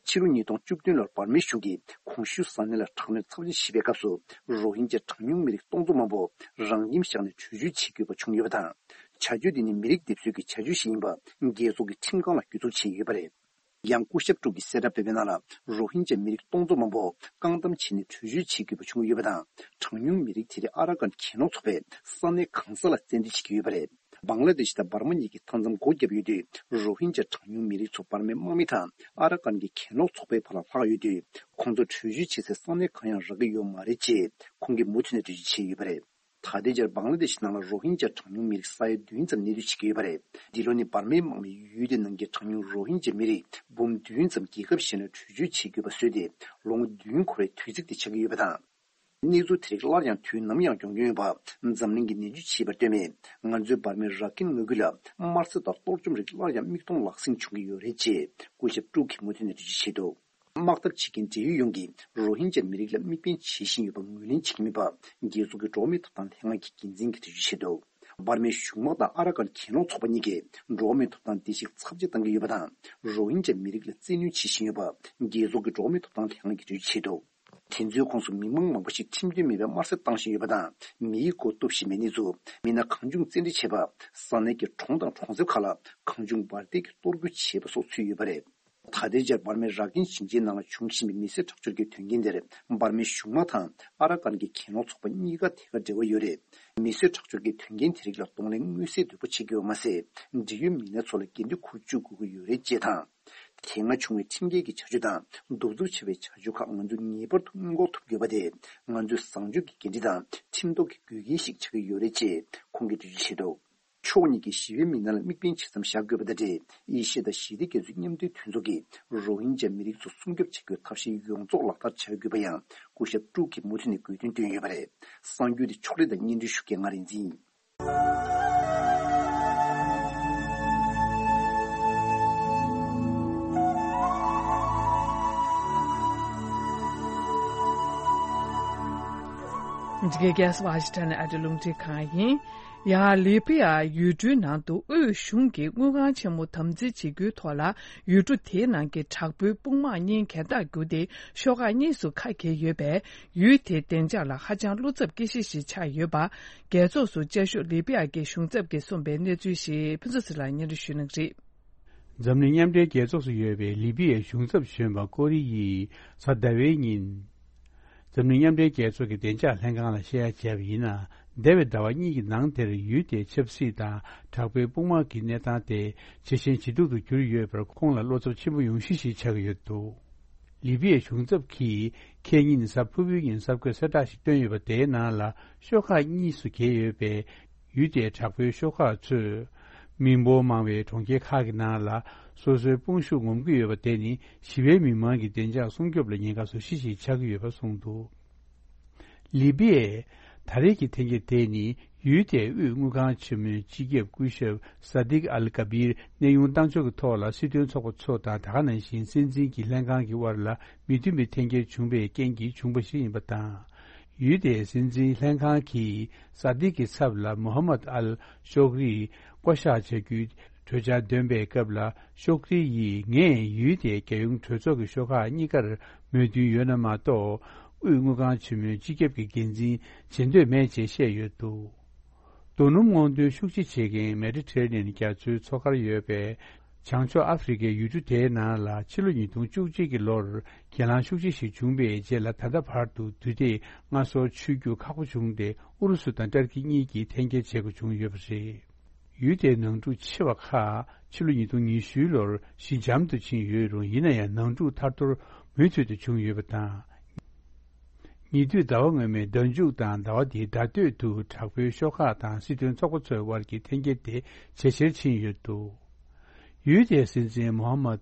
ཕྱི་ལོ་ཉིས་སྟོང་བཅུ་བདུན་ལོར་འབར་མའི་གཞུང་གིས་གོང་ཞུས་ས་གནས་ལ་དྲག་གནོན་ཚབས་ཆེན་བྱེད་པའི་སྐབས་སུ། རོ་ཧིན་ཇཱ་གྲངས་ཉུང་མི་རིགས་སྟོང་ཚོ་མང་པོ་རང་ཁྱིམ་བཞག་ནས་བྲོས་བྱོལ་བྱེད་དགོས་པ་བྱུང་ཡོད་པ་དང་། བྱ་སྤྱོད་འདི་ནི་མི་རིགས་སྡེབ་གསོད་ཀྱི་བྱ་སྤྱོད་ཞིག་ཡིན་པ་རྒྱལ་ཚོགས་ཀྱི་ཁྲིམས་ཁང་ལ་གྱོད་འཛུགས་བྱས་ཡོད་པ་རེད། ཡང་སྐུ་ཞབས་ཀྲུག་གིས་གསལ་བསྒྲགས་སྤེལ་བའི་ནང་ལ། རོ་ཧིན་ཇཱ་མི་རིགས་སྟོང་ཚོ་མང་པོ་བཀག་སྡོམ་བྱས་ནས་བྲོས་བྱོལ་བྱེད་དགོས་པ་བྱུང་ཡོད་པ་དང་། གྲངས་ཉུང་མི་རིགས་དེ་རིགས་ཨ་ར་ཀན་གྱེན་ལོག་ཚོགས་པས་ས་གནས་གང་ས་ལ་བཙན་འཛུལ་བྱེད་ཀྱི་ཡོད་པ་རེད། བང་ལ་དེ་ཤི་དང་འབར་མ་གཉིས་ཀྱིས་མཐའ་མཚམས་སྒོ་བརྒྱབ་ཡོད་དུས། རོ་ཧིན་ཇཱ་གྲངས་ཉུང་མི་རིགས་ཚོ་འབར་མའི་དམག་མི་དང་ཨ་ར་ཀན་གྱི་གྱེན་ལོག་ཚོགས་པའི་བར་ལ་ལྷག་ཡོད་དུས། ཁོང་ཚོ་བྲོས་བྱོལ་བྱེད་སའི་ས་གནས་གང་ཡང་རག་གི་ཡོད་མ་རེད་ཅེས་ཁོང་གིས་མུ་མཐུད་ནས་འགྲེལ་བརྗོད་བྱས་ཡོད་པ་རེད། ད་ལྟའི་ཆར་བང་ལ་དེ་ཤི་ནང་ལ་རོ་ཧིན་ཇཱ་གྲངས་ཉུང་མི་རིགས་ས་ཡ་བདུན་ཙམ་གནས་སྡོད་བྱེད་ཀྱི་ཡོད་པ་རེད། འདི་ལོ་ནི་འབར་མའི་དམག་མིས་ཡུལ་དེ་ནང་གི་གྲངས་ཉུང་རོ་ཧིན་ཇཱ་མི་རིགས་འབུམ་བདུན་ཙམ་རྒྱལ་ཁབ་གཞན་ལ་བྲོས་བྱོལ་བྱེད་དགོས་པ་བཟོས་ཏེ། ལོ་ངོ་བདུན་འཁོར་བའི་དུས་ཚིགས་དེ་ཆགས་ཀྱི་ཡོད་པ་དང་། གནས་ཚུལ་དེ་རིགས་སླར་ཡང་དུས་ནམ་ཡང་ཡོང་རྒྱུ་ཡིན་པ་འཛམ་གླིང་གིས་ནན་བརྗོད་བྱས་པར་ལྟོས་མེད། ང་ཚོའི་འབར་མའི་ར་ཀིན་མངའ་ཁུལ་ལ་དམར་གསོད་དང་གཏོར་བཅོམ་རིགས་སླར་ཡང་མིག་མཐོང་ལག་ཟིན་བྱུང་གི་ཡོད་རེད་ཅེས་སྐུ་ཞབས་ཀྲུག་གིས་མུ་མཐུད་ནས་འགྲེལ་བརྗོད་བྱས་འདུག་དམག་འཐབ་བྱེད་མཁན་འབྲེལ་ཡོད་ཡོངས་ཀྱིས་རོ་ཧིན་ཇཱ་མི་རིགས་ལ་དམིགས་འབེན་བྱེད་བཞིན་ཡོད་པ་ངོས་ལེན་བྱེད་ཀྱི་མེད་པ། རྒྱལ་ཚོགས་ཀྱི་འགྲོ་བ་མིའི་ཐོབ་ཐང་ལྷན་ཁང་གི་འགན་འཛིན་གྱིས་འགྲེལ་བརྗོད་བྱས་འདུག་འབར་མའི་གཞུང་དམག་དང་ཨ་ར་ཀན་གྱེན་ལོག་ཚོགས་པ་གཉིས་ཀྱིས་འགྲོ་བ་མིའི་ཐོབ་ཐང་བརྡལ་བཤིག་ཚབས་ཆེ་བཏང་གི་ཡོད་པ་དང་། རོ་ཧིན་ཇཱ་མི་རིགས་ལ་བཙན་གནོན་བྱེད་བཞིན་ཡོད་པ། རྒྱལ་ཚོགས་ཀྱི་འགྲོ་བ་མིའི་ཐོབ་ཐང་ལྷན་ཁང་གིས་འགྲེལ་བརྗོད་བྱས་འདུག་དེ་ཚོའི་ཁོངས་སུ་མི་མང་མང་པོ་ཞིག་ཁྲིམས་མཐུན་མེད་པའི་དམར་གསོད་བཏང་བཞིན་ཡོད་པ་དང་། མིའི་མགོ་གཏུབ་བཞིན་པའི་གནས་ཚུལ། མི་སྣ་གང་བྱུང་བཙན་ཁྲིད་བྱས་པ། ས་གནས་ཀྱི་གྲོང་དང་གྲོང་གསེབ་ཁག་ལ་གང་བྱུང་འབར་མདེལ་གྱིས་གཏོར་རྒོལ་བྱས་པ་སོགས་ཚུད་ཡོད་པ་རེད། ད་ལྟའི་ཆར་འབར་མའི་ར་ཀིན་ཞིང་ཆེན་ནང་ལ་འབྱུང་བཞིན་པའི་མི་གསོད་ཁྲག་སྦྱོར་གྱི་དོན་རྐྱེན་དེར་འབར་མའི་གཞུང་དམག་དང་ཨ་ར་ཀན་གྱི་གྱེན་ལོག་ཚོགས་པ་གཉིས་ཀ་ཐད་ཀར་འབྲེལ་བ་ཡོད་རེད། མི་གསོད་ཁྲག་སྦྱོར་གྱི་དོན་རྐྱེན་དེ་རིགས་ལ་གདོང་ལེན་མངོན་གསལ་དོད་པོ་བྱེད་དགོས་པ་མ་ཟད། འབྲེལ་ཡོད་མི་སྣ་ཚོ་ལ་འགན་འཁྲི་འཁུར་བཅུག་དགོས་ཀྱི་ཡོད་རེད་ཅེས་དང་། དེ་སྔ་བྱུང་བའི་ཁྲིམས་འགལ་གྱི་བྱ་སྤྱོད་དང་གདུག་རྩུབ་ཆེ་བའི་བྱ་སྤྱོད་ཁག་ང་ཚོས་ངེས་པར་དུ་སྔོན་འགོག་ཐུབ་དགོས་པ་དེ་ང་ཚོའི་བཟང་སྤྱོད་ཀྱི་འགན་འཁྲི་དང་ཁྲིམས་ཐོག་གི་དགོས་གལ་ཞིག་ཆགས་ཀྱི་ཡོད་རེད་ཅེས་ཁོང་གིས་འགྲེལ་བརྗོད་བྱས་འདུག་ཕྱོགས་གཉིས་ཀྱིས་ཞི་བའི་མི་སྣ་ལ་དམིགས་འབེན་ཇི་ཙམ་བཞག་དགོས་པ་དང་འབྲེལ། ཨེ་ཤི་ཡ་དང་ཞི་བདེ་རྒྱ་མཚོའི་མཉམ་འབྲེལ་མཐུན་ཚོགས་ཀྱིས་རོ་ཧིན་ཇཱ་མི་རིགས་ཚོ་སྲུང་སྐྱོབ་བྱེད་དགོས་ཐབས་ཤེས་ཡོངས་རྫོགས་ལག་བསྟར་བྱ་དགོས་པ་ཡང་སྐུ་ཞབས་ཀྲུག་གིས་མུ་མཐུད་ནས་དགོས་འདུན་བཏོན་ཡོད་པ་རེད། གསར་འགྱུར་དེ་ཕྱོགས་སྒྲིག་དང་སྙན་སྒྲོན་ཞུ་མཁན་ང་རིག་འཛིན་ཡིན། འདི་གའི་རྒྱལ་ས་ཝ་ཤིང་ཊོན་ཨ་རིའི་རླུང་འཕྲིན་ཁང་ཡིན། ཡང་ལི་བི་ཡ་ཡུལ་གྲུའི་ནང་དུ་དབུས་གཞུང་གིས་དངུལ་ཁང་ཆེན་མོ་དམ་འཛིན་བྱེད་རྒྱུའི་ཐོག་ལ་ཡུལ་གྲུ་དེའི་ནང་གི་དྲག་པོའི་དཔུང་དམག་གཉིས་གྱེན་ཐག་བརྒྱུད་དེ་ཤོག་ཁག་གཉིས་སུ་ཁ་གྱེས་ཡོད་པས། ཡུལ་དེའི་བདེ་འཇགས་ལ་ཧ་ཅང་བློ་འཚབ་སྐྱེ་གཞི་ཞིག་ཆགས་ཡོད་པ། རྒྱལ་ཚོགས་སུ་བཅའ་བཞུགས་ལི་བི་ཡ་གི་གཞུང་ཚབ་ཀྱིས་གསུངས་པའི་གནས་ཚུལ་ཞིག་ཕུན་ཚོགས་ཚེ་ལགས་སྙན་སྒྲོན་ཞུ་གནང་གི་རེད། འཛམ་གླིང་མཉམ་འབྲེལ་རྒྱལ་ཚོགས་སུ་ཡོད་པའི་ལི་བི་ཡའི་གཞུང་ཚབ་གཞོན་པ་ཀོ་རི་ཡིས་གཟའ་ཟླ་བའི་ཉིན། འཛམ་གླིང་མཉམ་འབྲེལ་རྒྱལ་ཚོགས་ཀྱི་བདེ་འཇགས་ལྷན་ཁང་ལ་བཤད་ཡ་བྱས་པ་ཡིན་ན། འདས་པའི་ཟླ་བ་གཉིས་ཀྱི་ནང་དེར་ཡུལ་དེའི་ཆབ་སྲིད་དང་དྲག་པོའི་དཔུང་དམག་གི་གནས་སྟངས་དེ་ཇེ་ཞན་ཇེ་སྡུག་ཏུ་གྱུར་ཡོད་པར་ཁོང་ལ་བློ་འཚབ་ཆེན་པོ་ཡོང་གཞི་ཞིག་ཆགས་ཀྱི་ཡོད་འདུག་ལི་བི་ཡའི་གཞུང་ཚབ་ཀྱིས་ཁེ་ཉིན་གཟའ་ཕུར་བུའི་ཉིན་གསར་འགོད་གསལ་བསྒྲགས་ཤིག་བཏོན་ཡོད་པ་དེའི་ནང་ལ་ཤོག་ཁག་གཉིས་སུ་གྱེས་ཡོད་པའི་ཡུལ་དེའི་དྲག་པོའི་ཤོག་ཁག་ཚོས། མི་འབོར་མང་བའི་གྲོང་ཁྱེར་ཁག་གི་ནང་ལ་སོ་སོའི་དཔུང་ཤུགས་ངོམ་གྱི་ཡོད་པ་དེ་ནི་ཞི་བའི་མི་མང་གི་བདེ་འཇགས་སྲུང་སྐྱོབ་ལ་ཉེན་ཁ་བཟོ་གཞི་ཞིག་ཆགས་ཀྱི་ཡོད་པ་གསུངས་འདུག་ལི་བི་ཡས། ད་རེས་ཀྱི་ཐེངས་འགྱུར་དེ་ནི་ཡུལ་དེའི་དབུས་དངུལ་ཁང་ཆེན་མོའི་སྤྱི་ཁྱབ་སྐུ་ཞབས་ས་དིག་ཨལ་ཀ་བིར་གནས་དབྱུང་བཏང་ཕྱོགས་ཀྱི་ཐོག་ལ་སྲིད་དོན་ཚོགས་པ་ཚོ་དང་ད་ག་ནང་བཞིན་སྲིད་འཛིན་གྱི་ལྷན་ཁང་གི་དབར་ལ་མི་མཐུན་པའི་འཐེན་འཁྱེར་བྱུང་བའི་རྐྱེན་གྱིས་བྱུང་བ་ཞིག་ཡིན་པ་དང་། ཡུལ་དེའི་སྲིད་འཛིན་ལྷན་ཁང་གིས་ས་དིག་གི་ཚབ་ལ་མོ་ཧ་མད་ཨལ་ཤོག་རི་བསྐོ་གཞག་བྱ་རྒྱུའི་གྲོས་འཆར་འདོན་པའི་སྐབས་ལ་ཤོག་རི་ཡིས་ངས་ཡུལ་དེའི་རྒྱལ་ཡོངས་གྲོས་ཚོགས་ཀྱི་ཤོག་ཁག་གཉིས་ཀར་མོས་མཐུན་ཡོད་ན་མ་གཏོགས། དབུས་དངུལ་ཁང་ཆེན་མོའི་སྤྱི་ཁྱབ་ཀྱི་འགན་འཛིན་བྱེད་འདོད་མེད་ཅེས་བཤད་ཡོད་འདུག། རྡོ་སྣུམ་སྔོག་འདོན་ཤུགས་ཆེ་བྱེད་མཁན་མེ་ཌི་ཊེ་རེ་ནི་ཡན་རྒྱ་མཚོའི་མཚོ་ཁར་ཡོད་པའི་བྱང་ཕྱོགས་ཨ་ཧྥེ་རི་ཁའི་ཡུལ་གྲུ་དེའི་ནང་ལ་ཕྱི་ལོ་ཉིས་སྟོང་བཅུ་གཅིག་གི་ལོར་གྱེན་ལངས་ཤུགས་ཆེ་ཞིག་བྱུང་བའི་རྗེས་ལ། ད་ལྟ་བར་དུ་དུས་དེབ་མངའ་གསོལ་ཆོད་རྒྱུ་ཁག་པོ་བྱུང་སྟེ། ཨུ་རུ་སུ་དང་ཏུར་ཀི་གཉིས་ཀྱིས་འཐེན་འཁྱེར་བྱེད་དགོས་བྱུང་ཡོད་པ་རེད། ཡུལ་དེའི་ནང་འཁྲུག་ཆེ་བ་ཁག་ཕྱི་ལོ་ཉིས་སྟོང་ཉི་ཤུ་ལོར་ཞི་འཇམ་དུ་ཕྱིན་ཡོད་རུང་། ཡིན་ན་ཡང་ནང་འཁྲུག་ཐར་ཐོར་མུ་མཐུད་དུ་བྱུང་ཡོད་པ་དང་། ཉེ་དུས་ཟླ་བ་སྔོན་མའི་ཟླ་མཇུག་དང་ཟླ་བ་འདིའི་ཟླ་སྟོད་དུ་དྲག་པོའི་ཤོག་ཁག་དང་སྲིད་དོན་ཚོགས་པ་ཚོའི་དབར་གྱི་འཐེན་འཁྱེར་དེ་ཇེ་ཆེར་ཕྱིན་ཡོད་འདུག། ཡུལ་དེའི་སྲིད་འཛིན་མོ་ཧམ་མད་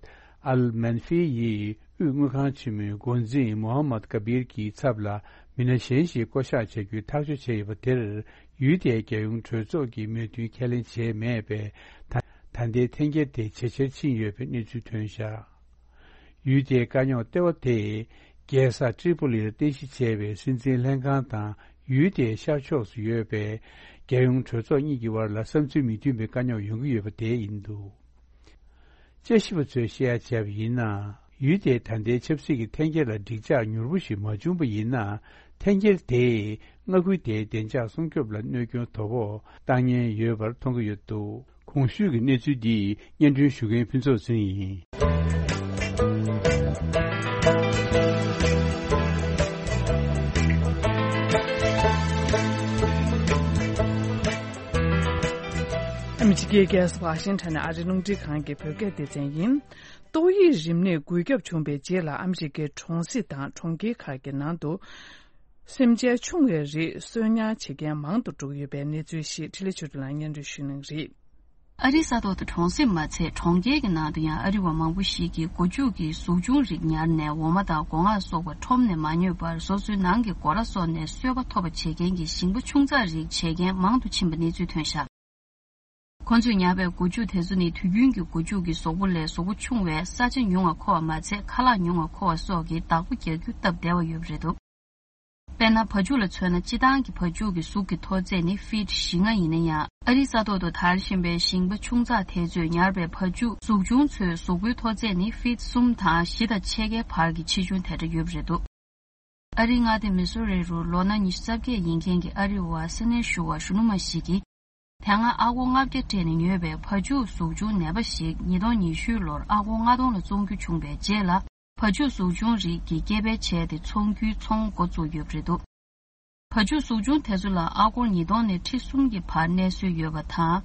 ཨལ་མན་ཧྥི་ཡིས་དབུས་དངུལ་ཁང་ཆེན་མོའི་འགོ་འཛིན་མོ་ཧམ་མད་ཀ་བིར་གྱི་ཚབ་ལ་མི་སྣ་གཞན་ཞིག་བསྐོ་གཞག་བྱ་རྒྱུའི་ཐག་གཅོད་བྱས་ཡོད་པ་དེར། ཡུལ་དེའི་རྒྱལ་ཡོངས་གྲོས་ཚོགས་ཀྱིས་མོས་མཐུན་ཁས་ལེན་བྱས་མེད་པས། ད་ད་ལྟའི་འཐེན་འཁྱེར་དེ་ཇེ་ཆེར་ཕྱིན་ཡོད་པའི་གནས་ཚུལ་ཐོན་བཞག། ཡུལ་དེའི་དཀའ་རྙོག་ལྟེ་བ་དེ་རྒྱལ་ས་ཏྲི་པོ་ལིར་རྟེན་གཞི་བྱས་པའི་སྲིད་འཛིན་ལྷན་ཁང་དང་། ཡུལ་དེའི་ཤར་ཕྱོགས་སུ་ཡོད་པའི་རྒྱལ་ཡོངས་གྲོས་ཚོགས་གཉིས་ཀྱི་དབར་ལ་བསམ་ཚུལ་མི་མཐུན་པའི་དཀའ་རྙོག་ཡོང་གི་ཡོད་པ་དེ་ཡིན་འདུག། དཔྱད་ཞིབ་པ་ཚོས་བཤད་ཡ་བྱས་པ་ཡིན་ན། ཡུལ་དེའི་ད་ལྟའི་ཆབ་སྲིད་ཀྱི་འཐེན་འཁྱེར་ལ་འགྲིག་འཇགས་མྱུར་པོ་ཞིག་མ་བྱུང་པ་ཡིན་ན། འཐེན་འཁྱེར་དེས་མངའ་ཁུལ་དེའི་བདེ་འཇགས་སྲུང་སྐྱོབ་ལ་གནོད་སྐྱོན་དོ་ཕོག་བཏང་ཉེན་ཡོད་པར་མཐོང་གི་ཡོད་འདུག། གོང་ཞུས་ཀྱི་གནས་ཚུལ་འདི་སྙན་སྒྲོན་ཞུ་མཁན་ཕུན་ཚོགས་ཟིན་ཡིན། ཨ་མི་རི་ཀའི་རྒྱལ་ས་ཝ་ཤིང་ཊོན་ནས་ཨ་རིའི་རླུང་འཕྲིན་ཁང་གི་བོད་སྐད་སྡེ་ཚན་ཡིན། ཏོག་དབྱིབས་རིམས་ནད་འགོས་ཁྱབ་བྱུང་བའི་རྗེས་ལ། ཨ་མི་རི་ཀའི་གྲོང་གསེབ་དང་གྲོང་ཁྱེར་ཁག་གི་ནང་དུ་སེམས་ཅན་ཆུང་བའི་རིགས་གསོད་ཉར་བྱེད་མཁན་མང་དུ་འགྲོ་གི་ཡོད་པའི་གནས་ཚུལ་ཞིག་འཕྲིན་ལས་ཆོས་སྒྲོན་ལགས་སྙན་སྒྲོན་ཞུ་གནང་གི་རེད། ཨ་རིའི་ས་ཐོག་ཏུ་གྲོང་གསེབ་མ་ཚད་གྲོང་ཁྱེར་གྱི་ནང་དུ་ཡང་ཨ་རི་བ་མང་པོ་ཞིག་གིས་སྒོ་ཕྱུགས་ཀྱི་གཟུགས་ཆུང་རིགས་ཉར་ནས་འོ་མ་དང་སྒོ་ང་སོགས་པ་ཁྲོམ་ནས་མ་ཉོས་པར་སོ་སོའི་ནང་གི་སྒོ་ར་སོགས་ནས་གསོད་པ་ཐོབ་པ་བྱེད་མཁན་གྱི་ཞིང་པ་ཆུང་ཙག་རིགས་བྱེད་མཁན་མང་དུ་ཕྱིན་པ་གནས་ཚུལ་ཐོན་བཞག། ཁོ་ཚོས་ཉར་བའི་སྒོ་ཕྱུགས་དེ་ཚོ་ནི་དུས་རྒྱུན་གྱི་སྒོ་ཕྱུགས་ཀྱི་གཟུགས་པོ་ལས་གཟུགས་པོ་ཆུང་བས་ས་ཆ་ཉུང་བ་མཁོ་བ་མ་ཚད་ཁ་ལག་ཉུང་བ་མཁོ་བ་སོགས་ཀྱི་བདག་པོ་རྒྱག་རྒྱུ་སྟབས་བདེ་བ་ཡོད་པ་རེད་འདུག། དཔེར་ན། བ་ཕྱུགས་ལ་མཚོན་ན། སྤྱིར་བཏང་གི་བ་ཕྱུགས་ཀྱི་གཟུགས་ཀྱི་མཐོ་ཚད་ནི་ཕིཊ་བཞི་ལྔ་ཡིན་ན་ཡང་། ཨ་རིའི་ས་ཐོག་ཏུ་དར་བཞིན་པའི་ཞིང་པ་ཆུང་ཙག་དེ་ཚོས་ཉར་བའི་བ་ཕྱུགས་གཟུགས་ཆུང་ཚོའི་གཟུགས་པོའི་མཐོ་ཚད་ནི་ཕིཊ་གསུམ་དང་བཞི་དང་ཕྱེད་ཀའི་བར་གྱི་ཆེ་ཆུང་དེ་འདྲ་ཡོད་པ་རེད་འདུག། ཨ་རིའི་མངའ་སྡེ་མི་སོ་རི་རུ་ལོ་ན་ཉི་ཤུ་རྩ་བརྒྱད་ཡིན་མཁན་གྱི་ཨ་རི་བ་སེ་ནེ་ཞུ་བ་གཞོན་ནུ་མ་ཞིག་གིས། དེ་སྔ་ཨ་སྒོར་ལྔ་བརྒྱ་སྤྲད་ནས་ཉོས་པའི་བ་ཕྱུགས་གཟུགས་ཆུང་ནད་པ་ཞིག་ཉིས་སྟོང་ཉི་ཤུ་ལོར་ཨ་སྒོར་ལྔ་སྟོང་ལ་བཙོང་རྒྱུ་བྱུང་བའི་རྗེས་ལ། བ་ཕྱུགས་གཟུགས་ཆུང་རིགས་ཀྱི་སྐྱེ་འཕེལ་བྱས་ཏེ་ཚོང་རྒྱུའི་ཚོང་འགོ་བཙུགས་ཡོད་པ་རེད་འདུག། བ་ཕྱུགས་གཟུགས་ཆུང་དེ་ཚོ་ལ་ཨ་སྒོར་ཉིས་སྟོང་ནས་ཁྲི་གསུམ་གྱི་བར་གནས་སྲོལ་ཡོད་པ་དང་།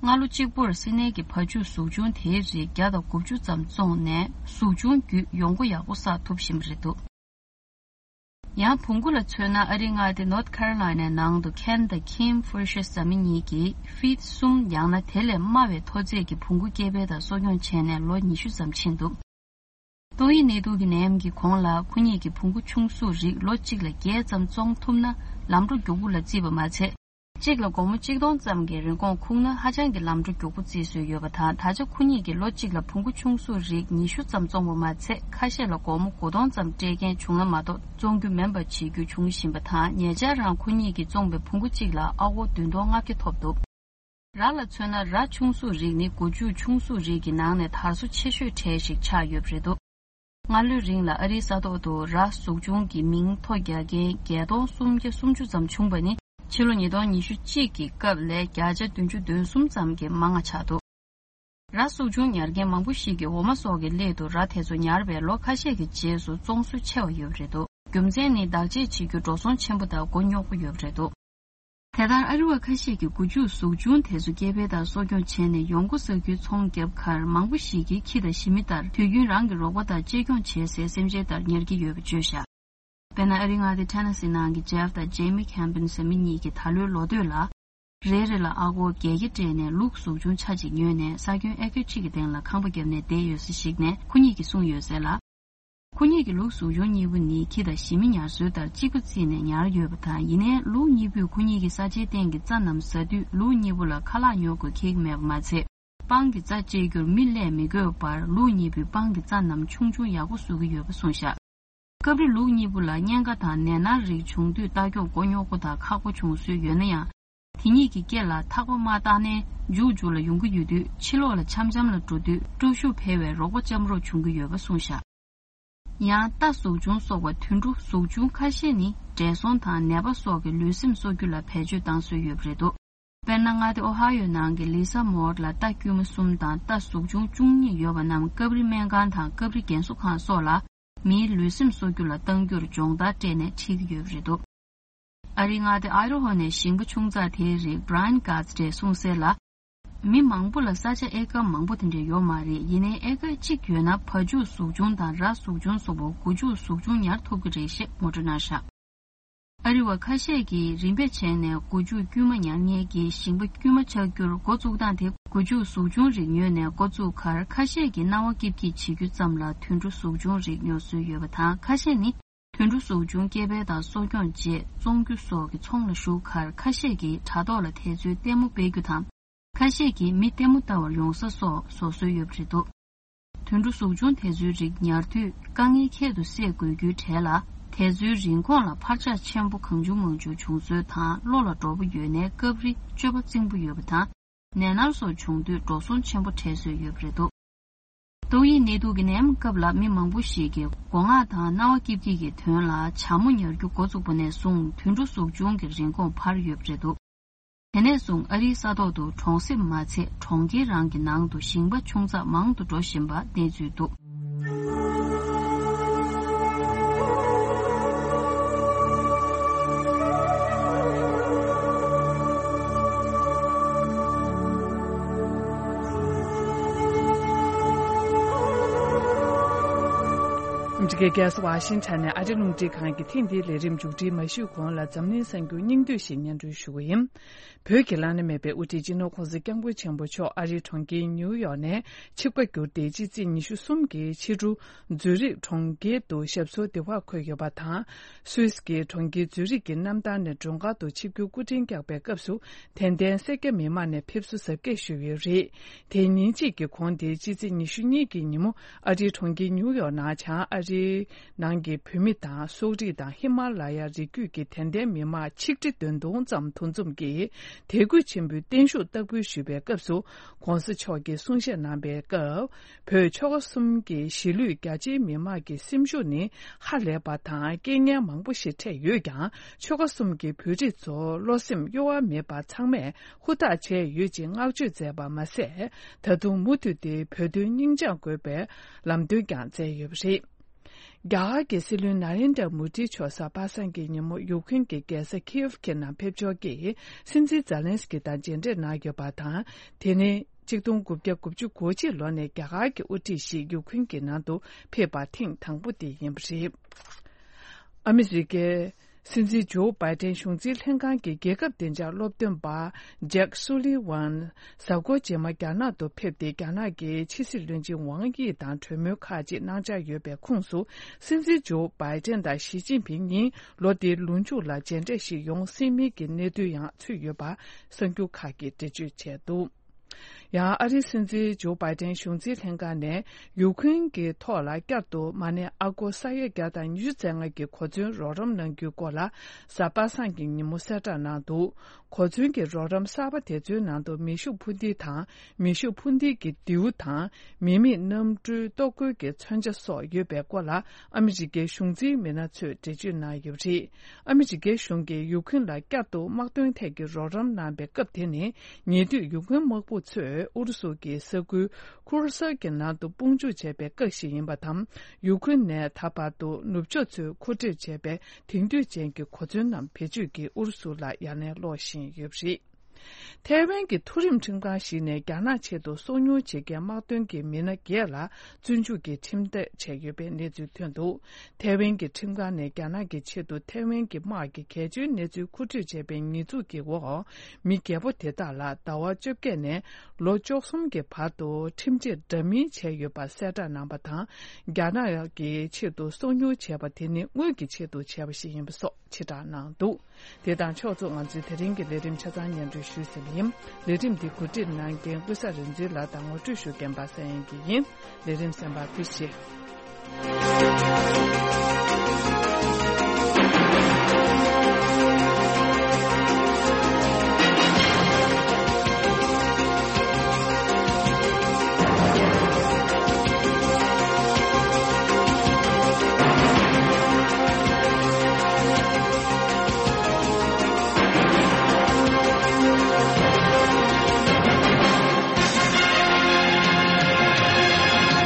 སྔ་ལོ་གཅིག་པུར་སི་ནེ་གི་བ་ཕྱུགས་གཟུགས་ཆུང་དེའི་རིགས་བརྒྱ་དང་དགུ་བཅུ་ཙམ་བཙོངས་ནས། གཟུགས་ཆུང་བརྒྱུད་ཡོང་སྒོ་ཡག་པོ་བསགས་ཐུབ་བཞིན་པ་རེད་འདུག། ཡང་བོང་གུ་ལ་མཚོན་ན། ཨ་རིའི་མངའ་སྡེ་ནོར་ཐི་ཁ་རོ་ལའི་ནའི་ནང་དུ་ཁེན་དང་ཁིམ་ཧྥུར་ཤེ་ཟེར་མི་གཉིས་ཀྱིས་ཕིཊ་གསུམ་ཡང་ན་དེ་ལས་དམའ་བའི་མཐོ་ཚད་ཀྱི་བོང་གུ་སྐྱེ་འཕེལ་དང་གསོ་སྐྱོང་བྱས་ནས་ལོ་ཉི་ཤུ་ཙམ་ཕྱིན་འདུག། ཏོག་དབྱིབས་ནད་དུག་གི་ནད་ཡམས་ཀྱི་གོང་ལ་ཁོ་གཉིས་ཀྱིས་བོང་གུ་ཆུང་གཟུགས་རིགས་ལོ་གཅིག་ལ་བརྒྱད་ཙམ་བཙོང་ཐུབ་ན། ལམ་འགྲོ་མགྱོགས་པོ་ལ་བརྩིས་པ་མ་ཚད། གཅིག་ལ་སྒོར་མོ་གཅིག་སྟོང་ཙམ་གྱི་རིན་གོང་ཁུག་ན་ཧ་ཅང་གི་ལམ་འགྲོ་མགྱོགས་པོ་བརྩི་སྲོལ་ཡོད་པ་དང་། ད་ཆ་ཁོ་གཉིས་ཀྱིས་ལོ་གཅིག་ལ་བོང་གུ་ཆུང་གཟུགས་རིགས་ཉི་ཤུ་ཙམ་བཙོང་བ་མ་ཚད། ཁ་ཤས་ལ་སྒོར་མོ་དགུ་སྟོང་ཙམ་སྤྲད་མཁན་བྱུང་ན་མ་གཏོགས་བཙོང་རྒྱུ་མིན་པ་བྱེད་རྒྱུ་བྱུང་བཞིན་པ་དང་། ཉེ་ཆར་རང་ཁོ་གཉིས་ཀྱིས་བཙོངས་པའི་བོང་གུ་གཅིག་ལ་ཨ་སྒོར་བདུན་སྟོང་ལྔ་བརྒྱ་ཐོབ་འདུག། ར་ལ་མཚོན་ན། ར་ཆུང་གཟུགས་རིགས་ནི་སྒོ་ཕྱུགས་ཆུང་གཟུགས་རིགས་ཀྱི་ནང་ནས་དར་སོ་ཆེ་ཤོས་གྲས་ཤིག་ཆགས་ཡོད་པ་རེད་འདུག། སྔ་ལོའི་རིང་ལ་ཨ་རིའི་ས་ཐོག་ཏུ་ར་གཟུགས་ཆུང་གི་མིང་ཐོ་རྒྱག་མཁན་བརྒྱད་སྟོང་སུམ་བརྒྱ་སུམ་ཅུ་ཙམ་བྱུང་བ་ནི། ཕྱི་ལོ་ཉིས་སྟོང་ཉི་ཤུ་གཅིག་གི་སྐབས་ལས་བརྒྱ་ཆ་བདུན་ཅུ་དོན་གསུམ་ཙམ་གྱིས་མང་བ་ཆགས་འདུག། ར་གཟུགས་ཆུང་ཉར་མཁན་མང་པོ་ཞིག་གིས་འོ་མ་སོགས་ཀྱི་སླད་དུ་ར་དེ་ཚོ་ཉར་བའི་ལོ་ཁ་ཤས་ཀྱི་རྗེས་སུ་བཙོང་སྲོལ་ཆེ་བ་ཡོད་པ་རེད་འདུག། རྒྱུ་མཚན་ནི་བདག་གཅེས་བྱེད་རྒྱུ་འགྲོ་སོང་ཆེན་པོ་དང་མགོ་རྙོག་པོ་ཡོད་པ་རེད་འདུག། དེ་ལྟར་ཨ་རི་བ་ཁ་ཤས་ཀྱིས་སྒོ་ཕྱུགས་གཟུགས་ཆུང་དེ་ཚོ་སྐྱེ་འཕེལ་དང་གསོ་སྐྱོང་བྱས་ནས་ཡོང་སྒོ་བསགས་རྒྱུའི་ཚོང་བརྒྱབ་ཁར། མང་པོ་ཞིག་གིས་ཁྱི་དང་ཞི་མི་ལྟར་དུས་རྒྱུན་རང་གི་རོགས་པ་དང་གཅེས་སྐྱོང་བྱེད་སའི་སེམས་ཅན་ལྟར་ཉར་གྱི་ཡོད་པ་བརྗོད་བཞག། དཔེར་ན། ཨ་རིའི་མངའ་སྡེ་ཊེ་ན་སི་ནང་གི་ཇེབ་དང་ཇེ་མི་ཁེམ་པིན་ཟེར་མི་གཉིས་ཀྱིས་ད་ལོའི་ལོ་སྟོད་ལ། རེ་རེ་ལ་ཨ་སྒོར་བརྒྱད་བརྒྱ་སྤྲད་ནས་ལུག་གཟུགས་ཆུང་ཆ་གཅིག་ཉོས་ནས། ས་ཁྱོན་ཨེ་ཀར་གཅིག་གི་སྟེང་ལ་ཁང་པ་བརྒྱབ་ནས་བསྡད་ཡོད་ས་ཞིག་ནས། ཁོ་གཉིས་ཀྱིས་གསུངས་ཡོད་ཟེར་ལ། ཁོ་གཉིས་ཀྱི་ལུག་གཟུགས་ཆུང་གཉིས་པོ་ནི་ཁྱི་དང་ཞི་མི་ཉར་སྲོལ་ལྟར་གཅིག་པ་བརྩིས་ནས་ཉར་ཡོད་པ་དང་། ཡིན་ནའི་ལུག་གཉིས་པོས་ཁོ་གཉིས་ཀྱི་ས་ཆའི་སྟེང་གི་རྩྭ་རྣམས་ཟ་དུས། ལུག་གཉིས་པོ་ལ་ཁ་ལག་ཉོ་དགོས་ཁེལ་གྱི་མེད་པ་མ་ཚད། སྤང་གི་རྩྭ་བཅད་རྒྱུར་མི་སླེབས་མི་དགོས་པར། ལུག་གཉིས་པོས་སྤང་གི་རྩྭ་རྣམས་ཆུང་ཆུང་ཡག་པོ་བཟོ་གི་ཡོད་པ་གསུངས་བཞག། སྐབས་རེ་ལུག་གཉིས་པོ་ལ་གཉན་ཁ་དང་ནད་མནར་རིགས་བྱུང་དུས་ལྟ་སྐྱོང་མགོ་རྙོག་པོ་དང་ཁག་པོ་བྱུང་སྲོལ་ཡོད་ན་ཡང་། དེ་གཉིས་ཀྱི་སྐེ་ལ་ཐག་པ་མ་བཏགས་ནའི་མཇུག་མཇུག་ལ་ཡོང་གི་ཡོད་དུས། ཕྱི་ལོགས་ལ་འཆམ་འཆམ་ལ་འགྲོ་དུས་སྤྲོ་ཤུགས་འཕེལ་བའི་རོགས་པ་ལྕམ་རོགས་བྱུང་གི་ཡོད་པ་གསུངས་བཞག། ཡང་རྟ་གཟུགས་ཆུང་སོགས་པ་དུད་འགྲོ་གཟུགས་ཆུང་ཁ་ཤས་ནི་བགྲེས་སོང་དང་ནད་པ་སོགས་ཀྱི་ལུས་སེམས་གསོ་རྒྱུ་ལ་བེད་སྤྱོད་བཏང་སྲོལ་ཡོད་པ་རེད་འདུག་དཔེར་ན། མངའ་སྡེ་ཨོ་ཧ་ཡོ་ནང་གི་ལི་ས་མོར་ལ་རྟ་དཀྱུས་མ་གསུམ་དང་རྟ་གཟུགས་ཆུང་བཅུ་གཉིས་ཡོད་པ་རྣམས་སྐབས་རེ་སྨན་ཁང་དང་སྐབས་རེ་རྒན་གསོ་ཁང་སོགས་ལ་མིའི་ལུས་སེམས་གསོ་རྒྱུ་ལ་གཏང་རྒྱུར་སྦྱོང་བརྡར་སྤྲད་ནས་ཁྲིད་ཀྱི་ཡོད་པ་རེད་འདུག་ཨ་རིའི་མངའ་སྡེ་ཨའི་རོ་ཧོ་ནས་ཞིང་པ་ཆུང་ཙག་དེའི་རིགས་བྷ་རའན་གྷ་ཛི་ཏྲས་གསུངས་གསལ་ལ། མི་མང་པོ་ལ་ས་ཆ་ཨེ་ཀར་མང་པོ་དེ་འདྲ་ཡོད་མ་རེད། ཡིན་ནའི་ཨེ་ཀར་གཅིག་ཡོད་ན་བ་ཕྱུགས་གཟུགས་ཆུང་དང་ར་གཟུགས་ཆུང་སོགས་པོ་སྒོ་ཕྱུགས་གཟུགས་ཆུང་ཉར་ཐུབ་ཀྱི་རེད་ཅེས་ངོ་སྤྲོད་གནང་བཞག་ཨ་རི་བ་ཁ་ཤས་ཀྱིས་རིམ་པས་བྱས་ནས་སྒོ་ཕྱུགས་དཀྱུས་མ་ཉར་མཁན་གྱི་ཞིང་པ་དཀྱུས་མ་ཆགས་རྒྱུར་འགོ་བཙུགས་སྟངས་དེ། སྒོ་ཕྱུགས་གཟུགས་ཆུང་རིགས་ཉོས་ནས་འགོ་བཙུགས་ཁར་ཁ་ཤས་ཀྱིས་སྣང་བ་སྐྱིད་སྐྱིད་བྱེད་རྒྱུ་ཙམ་ལ་དུད་འགྲོ་གཟུགས་ཆུང་རིགས་ཉོ་སྲོལ་ཡོད་པ་དང་། ཁ་ཤས་ནི་དུད་འགྲོ་གཟུགས་ཆུང་སྐྱེ་འཕེལ་དང་གསོ་སྐྱོང་བཅས་བཙོང་རྒྱུ་སོགས་ཀྱི་ཚོང་ལ་ཞུགས་ཁར་ཁ་ཤས་ཀྱིས་དྲ་ཐོག་ལ་དེ་ཚོའི་ལྟད་མོ་སྤེལ་རྒྱུ་དང་། ཁ་ཤས་ཀྱིས་མི་ལྟད་མོ་ལྟ་བར་ཡོང་ས་སོགས་བཟོ་སྲོལ་ཡོད་པ་རེད་འདུག་དུད་འགྲོ་གཟུགས་ཆུང་དེ་ཚོའི་རིགས་ཉར་དུས་དཀའ་ངལ་ཁྱད་དུ་བསད་དགོས་རྒྱུའི་གྲས་ལ། དེ་ཚོའི་རིན་གོང་ལ་འཕར་ཆག་ཆེན་པོ་གང་བྱུང་མང་བྱུང་བྱུང་སྲོལ་དང་། བློ་ལ་འགྲོ་པོ་ཡོད་ནའི་སྐབས་རེ་སྤྱོད་པ་རྩིང་པོ་ཡོད་པ་དང་། ནད་མནར་སོགས་བྱུང་དུས་འགྲོ་སོང་ཆེན་པོ་འཕྲད་སྲོལ་ཡོད་པ་རེད་འདུག་ཏོག་དབྱིབས་ནད་དུག་གི་ནད་ཡམས་སྐབས་ལ་མི་མང་པོ་ཞིག་གིས་སྒོ་ང་དང་སྣང་བ་སྐྱིད་སྐྱིད་ཀྱི་དོན་ལ་བྱ་མོ་ཉར་རྒྱུ་འགོ་བཙུགས་པ་ནས་བཟུང་དུད་འགྲོ་གཟུགས་ཆུང་གི་རིན་གོང་འཕར་ཡོད་པ་རེད་འདུག་དེ་ནས་བཟུང་ཨ་རིའི་ས་ཐོག་ཏུ་གྲོང་གསེབ་མ་ཚད་གྲོང་ཁྱེར་རང་གི་ནང་དུ་ཞིང་པ་ཆུང་ཙག་མང་དུ་འགྲོ་བཞིན་པ་གནས་ཚུལ་འདུག་ཨ་མི་རི་ཀའི་རྒྱལ་ས་ཝ་ཤིང་ཊོན་ནས་ཨ་རི་རླུང་འཕྲིན་ཁང་གི་ཐེངས་འདིའི་ལས་རིམ་མཇུག་སྒྲིལ་མ་ཞུས་གོང་ལ་འཛམ་གླིང་གསར་འགྱུར་སྙིང་བསྡུས་ཤིག་སྙན་སྒྲོན་ཞུ་གི་ཡིན། བོད་ཀྱི་བླ་ན་མེད་པའི་དབུ་ཁྲིད་སྤྱི་ནོར་༸གོང་ས་༸སྐྱབས་མགོན་ཆེན་པོ་མཆོག་ཨ་རིའི་གྲོང་ཁྱེར་ཉིའུ་ཡོག་ནས་ཆིབས་ཁ་བསྒྱུར་ཏེ། སྤྱི་ཚེས་ཉི་ཤུ་གསུམ་གྱི་ཕྱི་དྲོ་ཛུ་རིག་གྲོང་ཁྱེར་དུ་ཞབས་སོར་བདེ་བར་འཁོད་ཡོད་པ་དང་། སུད་སི་གི་གྲོང་ཁྱེར་ཛུ་རིག་གི་གནམ་ཐང་ནས་མགྲོན་ཁང་དུ་ཆིབས་བསྒྱུར་སྐུ་འཕྲེང་བཀྱག་པའི་སྐབས་སུ། དད་ལྡན་སེར་སྐྱ་མི་མང་ནས་ཕེབས་བསུ་གཟབ་རྒྱས་ཞུས་ཡོད་རེད། དེ་ཉིན་གཅིག་གི་གོང་དེ་སྤྱི་ཚེས་ཉི་ཤུ་གཉིས་ཀྱི་ཉིན་མོ་ཨ་རིའི་གྲོང་ཁྱེར་ཉིའུ་ཡོག་ནང་བྱང་ཨ་རིའི་ནང་གི་བོད་མི་དང་སོག་རིགས་དང་ཧི་མ་ལ་ཡ་རི་རྒྱུད་ཀྱི་དད་ལྡན་མི་མང་ཆིག་ཁྲི་བདུན་སྟོང་ཙམ་འདུ་འཛོམས་ཀྱིས་དད་གུས་ཆེན་པོས་བརྟན་བཞུགས་བསྟར་འབུལ་ཞུས་པའི་སྐབས་སུ། ༸གོང་ས་མཆོག་གིས་གསུང་བཤད་གནང་པའི་སྐབས། བོད་ཆོལ་ཁ་གསུམ་གྱི་གཞིས་ལུས་རྒྱ་ཆེའི་མི་དམངས་ཀྱི་སེམས་ཤུགས་ནི་ཧ་ལས་པ་དང་རྐྱེན་ངན་མང་པོ་ཞིག་འཕྲད་ཡོད་ཀྱང་། ཆོལ་ཁ་གསུམ་གྱི་བོད་རིགས་ཚོ་བློ་སེམས་གཡོ་བ་མེད་པར་ཚང་མས་ཧུར་ཐག་བྱས་ཡོད་ཅེས་བསྔགས་བརྗོད་མཛད་པ་མ་ཟད། ད་དུང་མུ་མཐུད་དེ་བོད་དོན་སྙིང་བཅངས་དགོས་པའི་ལམ་སྟོན་ཀྱང་མཛད་ཡོད་པ་རེད། རྒྱ་གར་གྱི་སྲིད་བློན་ན་རེན་དྲ་མོ་ཌི་མཆོག་གཟའ་པ་སངས་ཀྱི་ཉིན་མོ་ཡུཀ་རེན་གྱི་རྒྱལ་ས་ཁིའེ་ཝི་ནང་ཕེབས་འབྱོར་གྱིས་སྲིད་འཛིན་ཛེ་ལན་སི་ཀི་དང་མཇལ་འཕྲད་གནང་ཡོད་པ་དང་། དེ་ནི་གཅིག་སྟོང་དགུ་བརྒྱ་དགུ་བཅུ་གོ་གཅིག་ལོ་ནས་རྒྱ་གར་གྱི་དབུ་ཁྲིད་ཞིག་ཡུཀ་རེན་གྱི་ནང་དུ་ཕེབས་པ་ཐེངས་དང་པོ་དེ་ཡིན་པ་རེད། ཨ་མི་རི་ཀའི་སྲིད་འཛིན་ཇོ་བྷའི་ཏན་གཞུང་འཛིན་ལྷན་ཁང་གི་རྒྱལ་ཁབ་བདེ་འཇགས་སློབ་སྟོན་པ་ཇེག་སུ་ལི་ཝན་གཟའ་འཁོར་རྗེས་མ་རྒྱ་ནག་ཏུ་ཕེབས་ཏེ། རྒྱ་ནག་གི་ཕྱི་སྲིད་བློན་ཆེན་ཝང་དབྱི་དང་གྲོས་མོལ་ཁག་ཅིག་གནང་འཆར་ཡོད་པའི་ཁོངས་སུ། སྲིད་འཛིན་ཇོ་བྷའི་ཏན་དང་ཞི་ཅིན་ཕིང་གཉིས་ལོ་འདིའི་ལོ་མཇུག་ལ་མཇལ་འཕྲད་ཞིག་ཡོང་སྲིད་མིན་གྱི་གནས་ཚུལ་ཡང་ཚུད་ཡོད་པ་གསར་འགྱུར་ཁག་གིས་འགྲེལ་བརྗོད་བྱས་འདུག་ཡང་ཨ་རིའི་སྲིད་འཛིན་ཇོ་བྷའི་ཏན་གཞུང་འཛིན་ལྷན་ཁང་ནས་ཡུཀ་རེན་གྱི་ཐོག་ལ་བསྐྱར་དུ་མ་ཎི་ཨ་སྒོར་ས་ཡ་བརྒྱ་དང་ཉི་ཤུ་རྩ་ལྔ་གི་གོ་མཚོན་རོགས་རམ་གནང་རྒྱུའི་སྐོར་ལ་གཟའ་པ་སངས་ཀྱི་ཉིན་མོ་གསལ་བསྒྲགས་གནང་འདུག་གོ་མཚོན་གྱི་རོགས་རམ་གསར་པ་དེ་ཚོའི་ནང་དུ་མེ་ཤུགས་འཕུར་མདེལ་དང་། མེ་ཤུགས་འཕུར་མདེལ་གྱི་མདེའུ་དང་། མི་མེད་གནམ་གྲུའི་ལྟོ་གོས་ཀྱི་མཚོན་ཆ་སོགས་ཡོད་པའི་སྐོར་ལ་ཨ་མི་རི་ཀའི་གཞུང་འཛིན་མི་སྣ་ཚོས་འགྲེལ་བརྗོད་གནང་ཡོད་པ་རེད། ཨ་མི་རི་ཀའི་གཞུང་གིས་ཡུཀ་རེན་ལ་བསྐྱར་དུ་དམག་དོན་ཐད་ཀྱི་རོགས་རམ་གནང་པའི་སྐབས་དེ་ནི། ཉེ་དུས་ཡུཀ་རེན་དམག་དཔུང་ཚོས་ཨུ་རུ་སུ་གྱི་ས་ཁུལ་ཁུར་སར་གྱི་ནང་དུ་དཔུང་འཇུག་བྱས་པའི་སྐབས་ཤིག་ཡིན་པ་དང་། ཡུཀ་རེན་ནས་ད་བར་དུ་ནུབ་ཕྱོགས་ཚོས་མཁོ་སྤྲོད་བྱས་པའི་དེང་དུས་ཅན་གྱི་གོ་མཚོན་རྣམས་བེད་སྤྱོད་ཀྱིས་ཨུ་རུ་སུ་ལ་ཡ་ལན་སློག་བཞིན་ཡོད་པ་རེད། ཐའེ་ཝན་གྱི་མཐོ་རིམ་ཁྲིམས་ཁང་ཞིག་ནས་རྒྱ་ནག་ཆེད་དུ་སོ་ཉུལ་བྱེད་མཁན་དམག་དོན་གྱི་མི་སྣ་བརྒྱད་ལ་བཙོན་འཇུག་གིས་ཁྲིམས་ཐག་བཅད་ཡོད་པའི་གནས་ཚུལ་ཐོན་འདུག་ཐའེ་ཝན་གྱི་ཁྲིམས་ཁང་ནས་རྒྱ་ནག་གི་ཆེད་དུ་ཐའེ་ཝན་གྱི་དམག་གི་གལ་ཆེའི་གནས་ཚུལ་མཁོ་སྤྲོད་བྱས་པའི་ཉེས་འཛུགས་ཀྱི་འོག་མི་བརྒྱད་པོ་དེ་དག་ལ་ཟླ་བ་བཅོ་བརྒྱད་ནས་ལོ་བཅུ་གསུམ་གྱི་བར་དུ་ཁྲིམས་ཆད་འདྲ་མིན་བཅད་ཡོད་པ་གསལ་བསྒྲགས་གནང་པ་དང་། རྒྱ་ནག་གི་ཆེད་དུ་སོ་ཉུལ་བྱས་པ་དེ་ནི་དངུལ་གྱི་ཆེད་དུ་བྱས་པ་ཞིག་ཡིན་པ་སོགས་ཕྱིར་བསྒྲགས་གནང་འདུག་དེ་དང་ཕྱོགས་མཚུངས་ང་ཚོའི་དེ་རིང་གི་ལས་རིམ་ཆ་ཚང་སྙན་སྒྲོན་ཞུས་ཟིན་པ་ཡིན། ལས་རིམ་འདི་གོ་སྒྲིག་གནང་མཁན་ཀུན་བཟང་རིག་འཛིན་ལགས་དང་ངོ་སྤྲོད་ཞུ་མཁན་པ་སངས་དབྱངས་སྐྱིད་ཡིན། ལས་རིམ་གསན་པར་ཐུགས་རྗེ་ཆེ།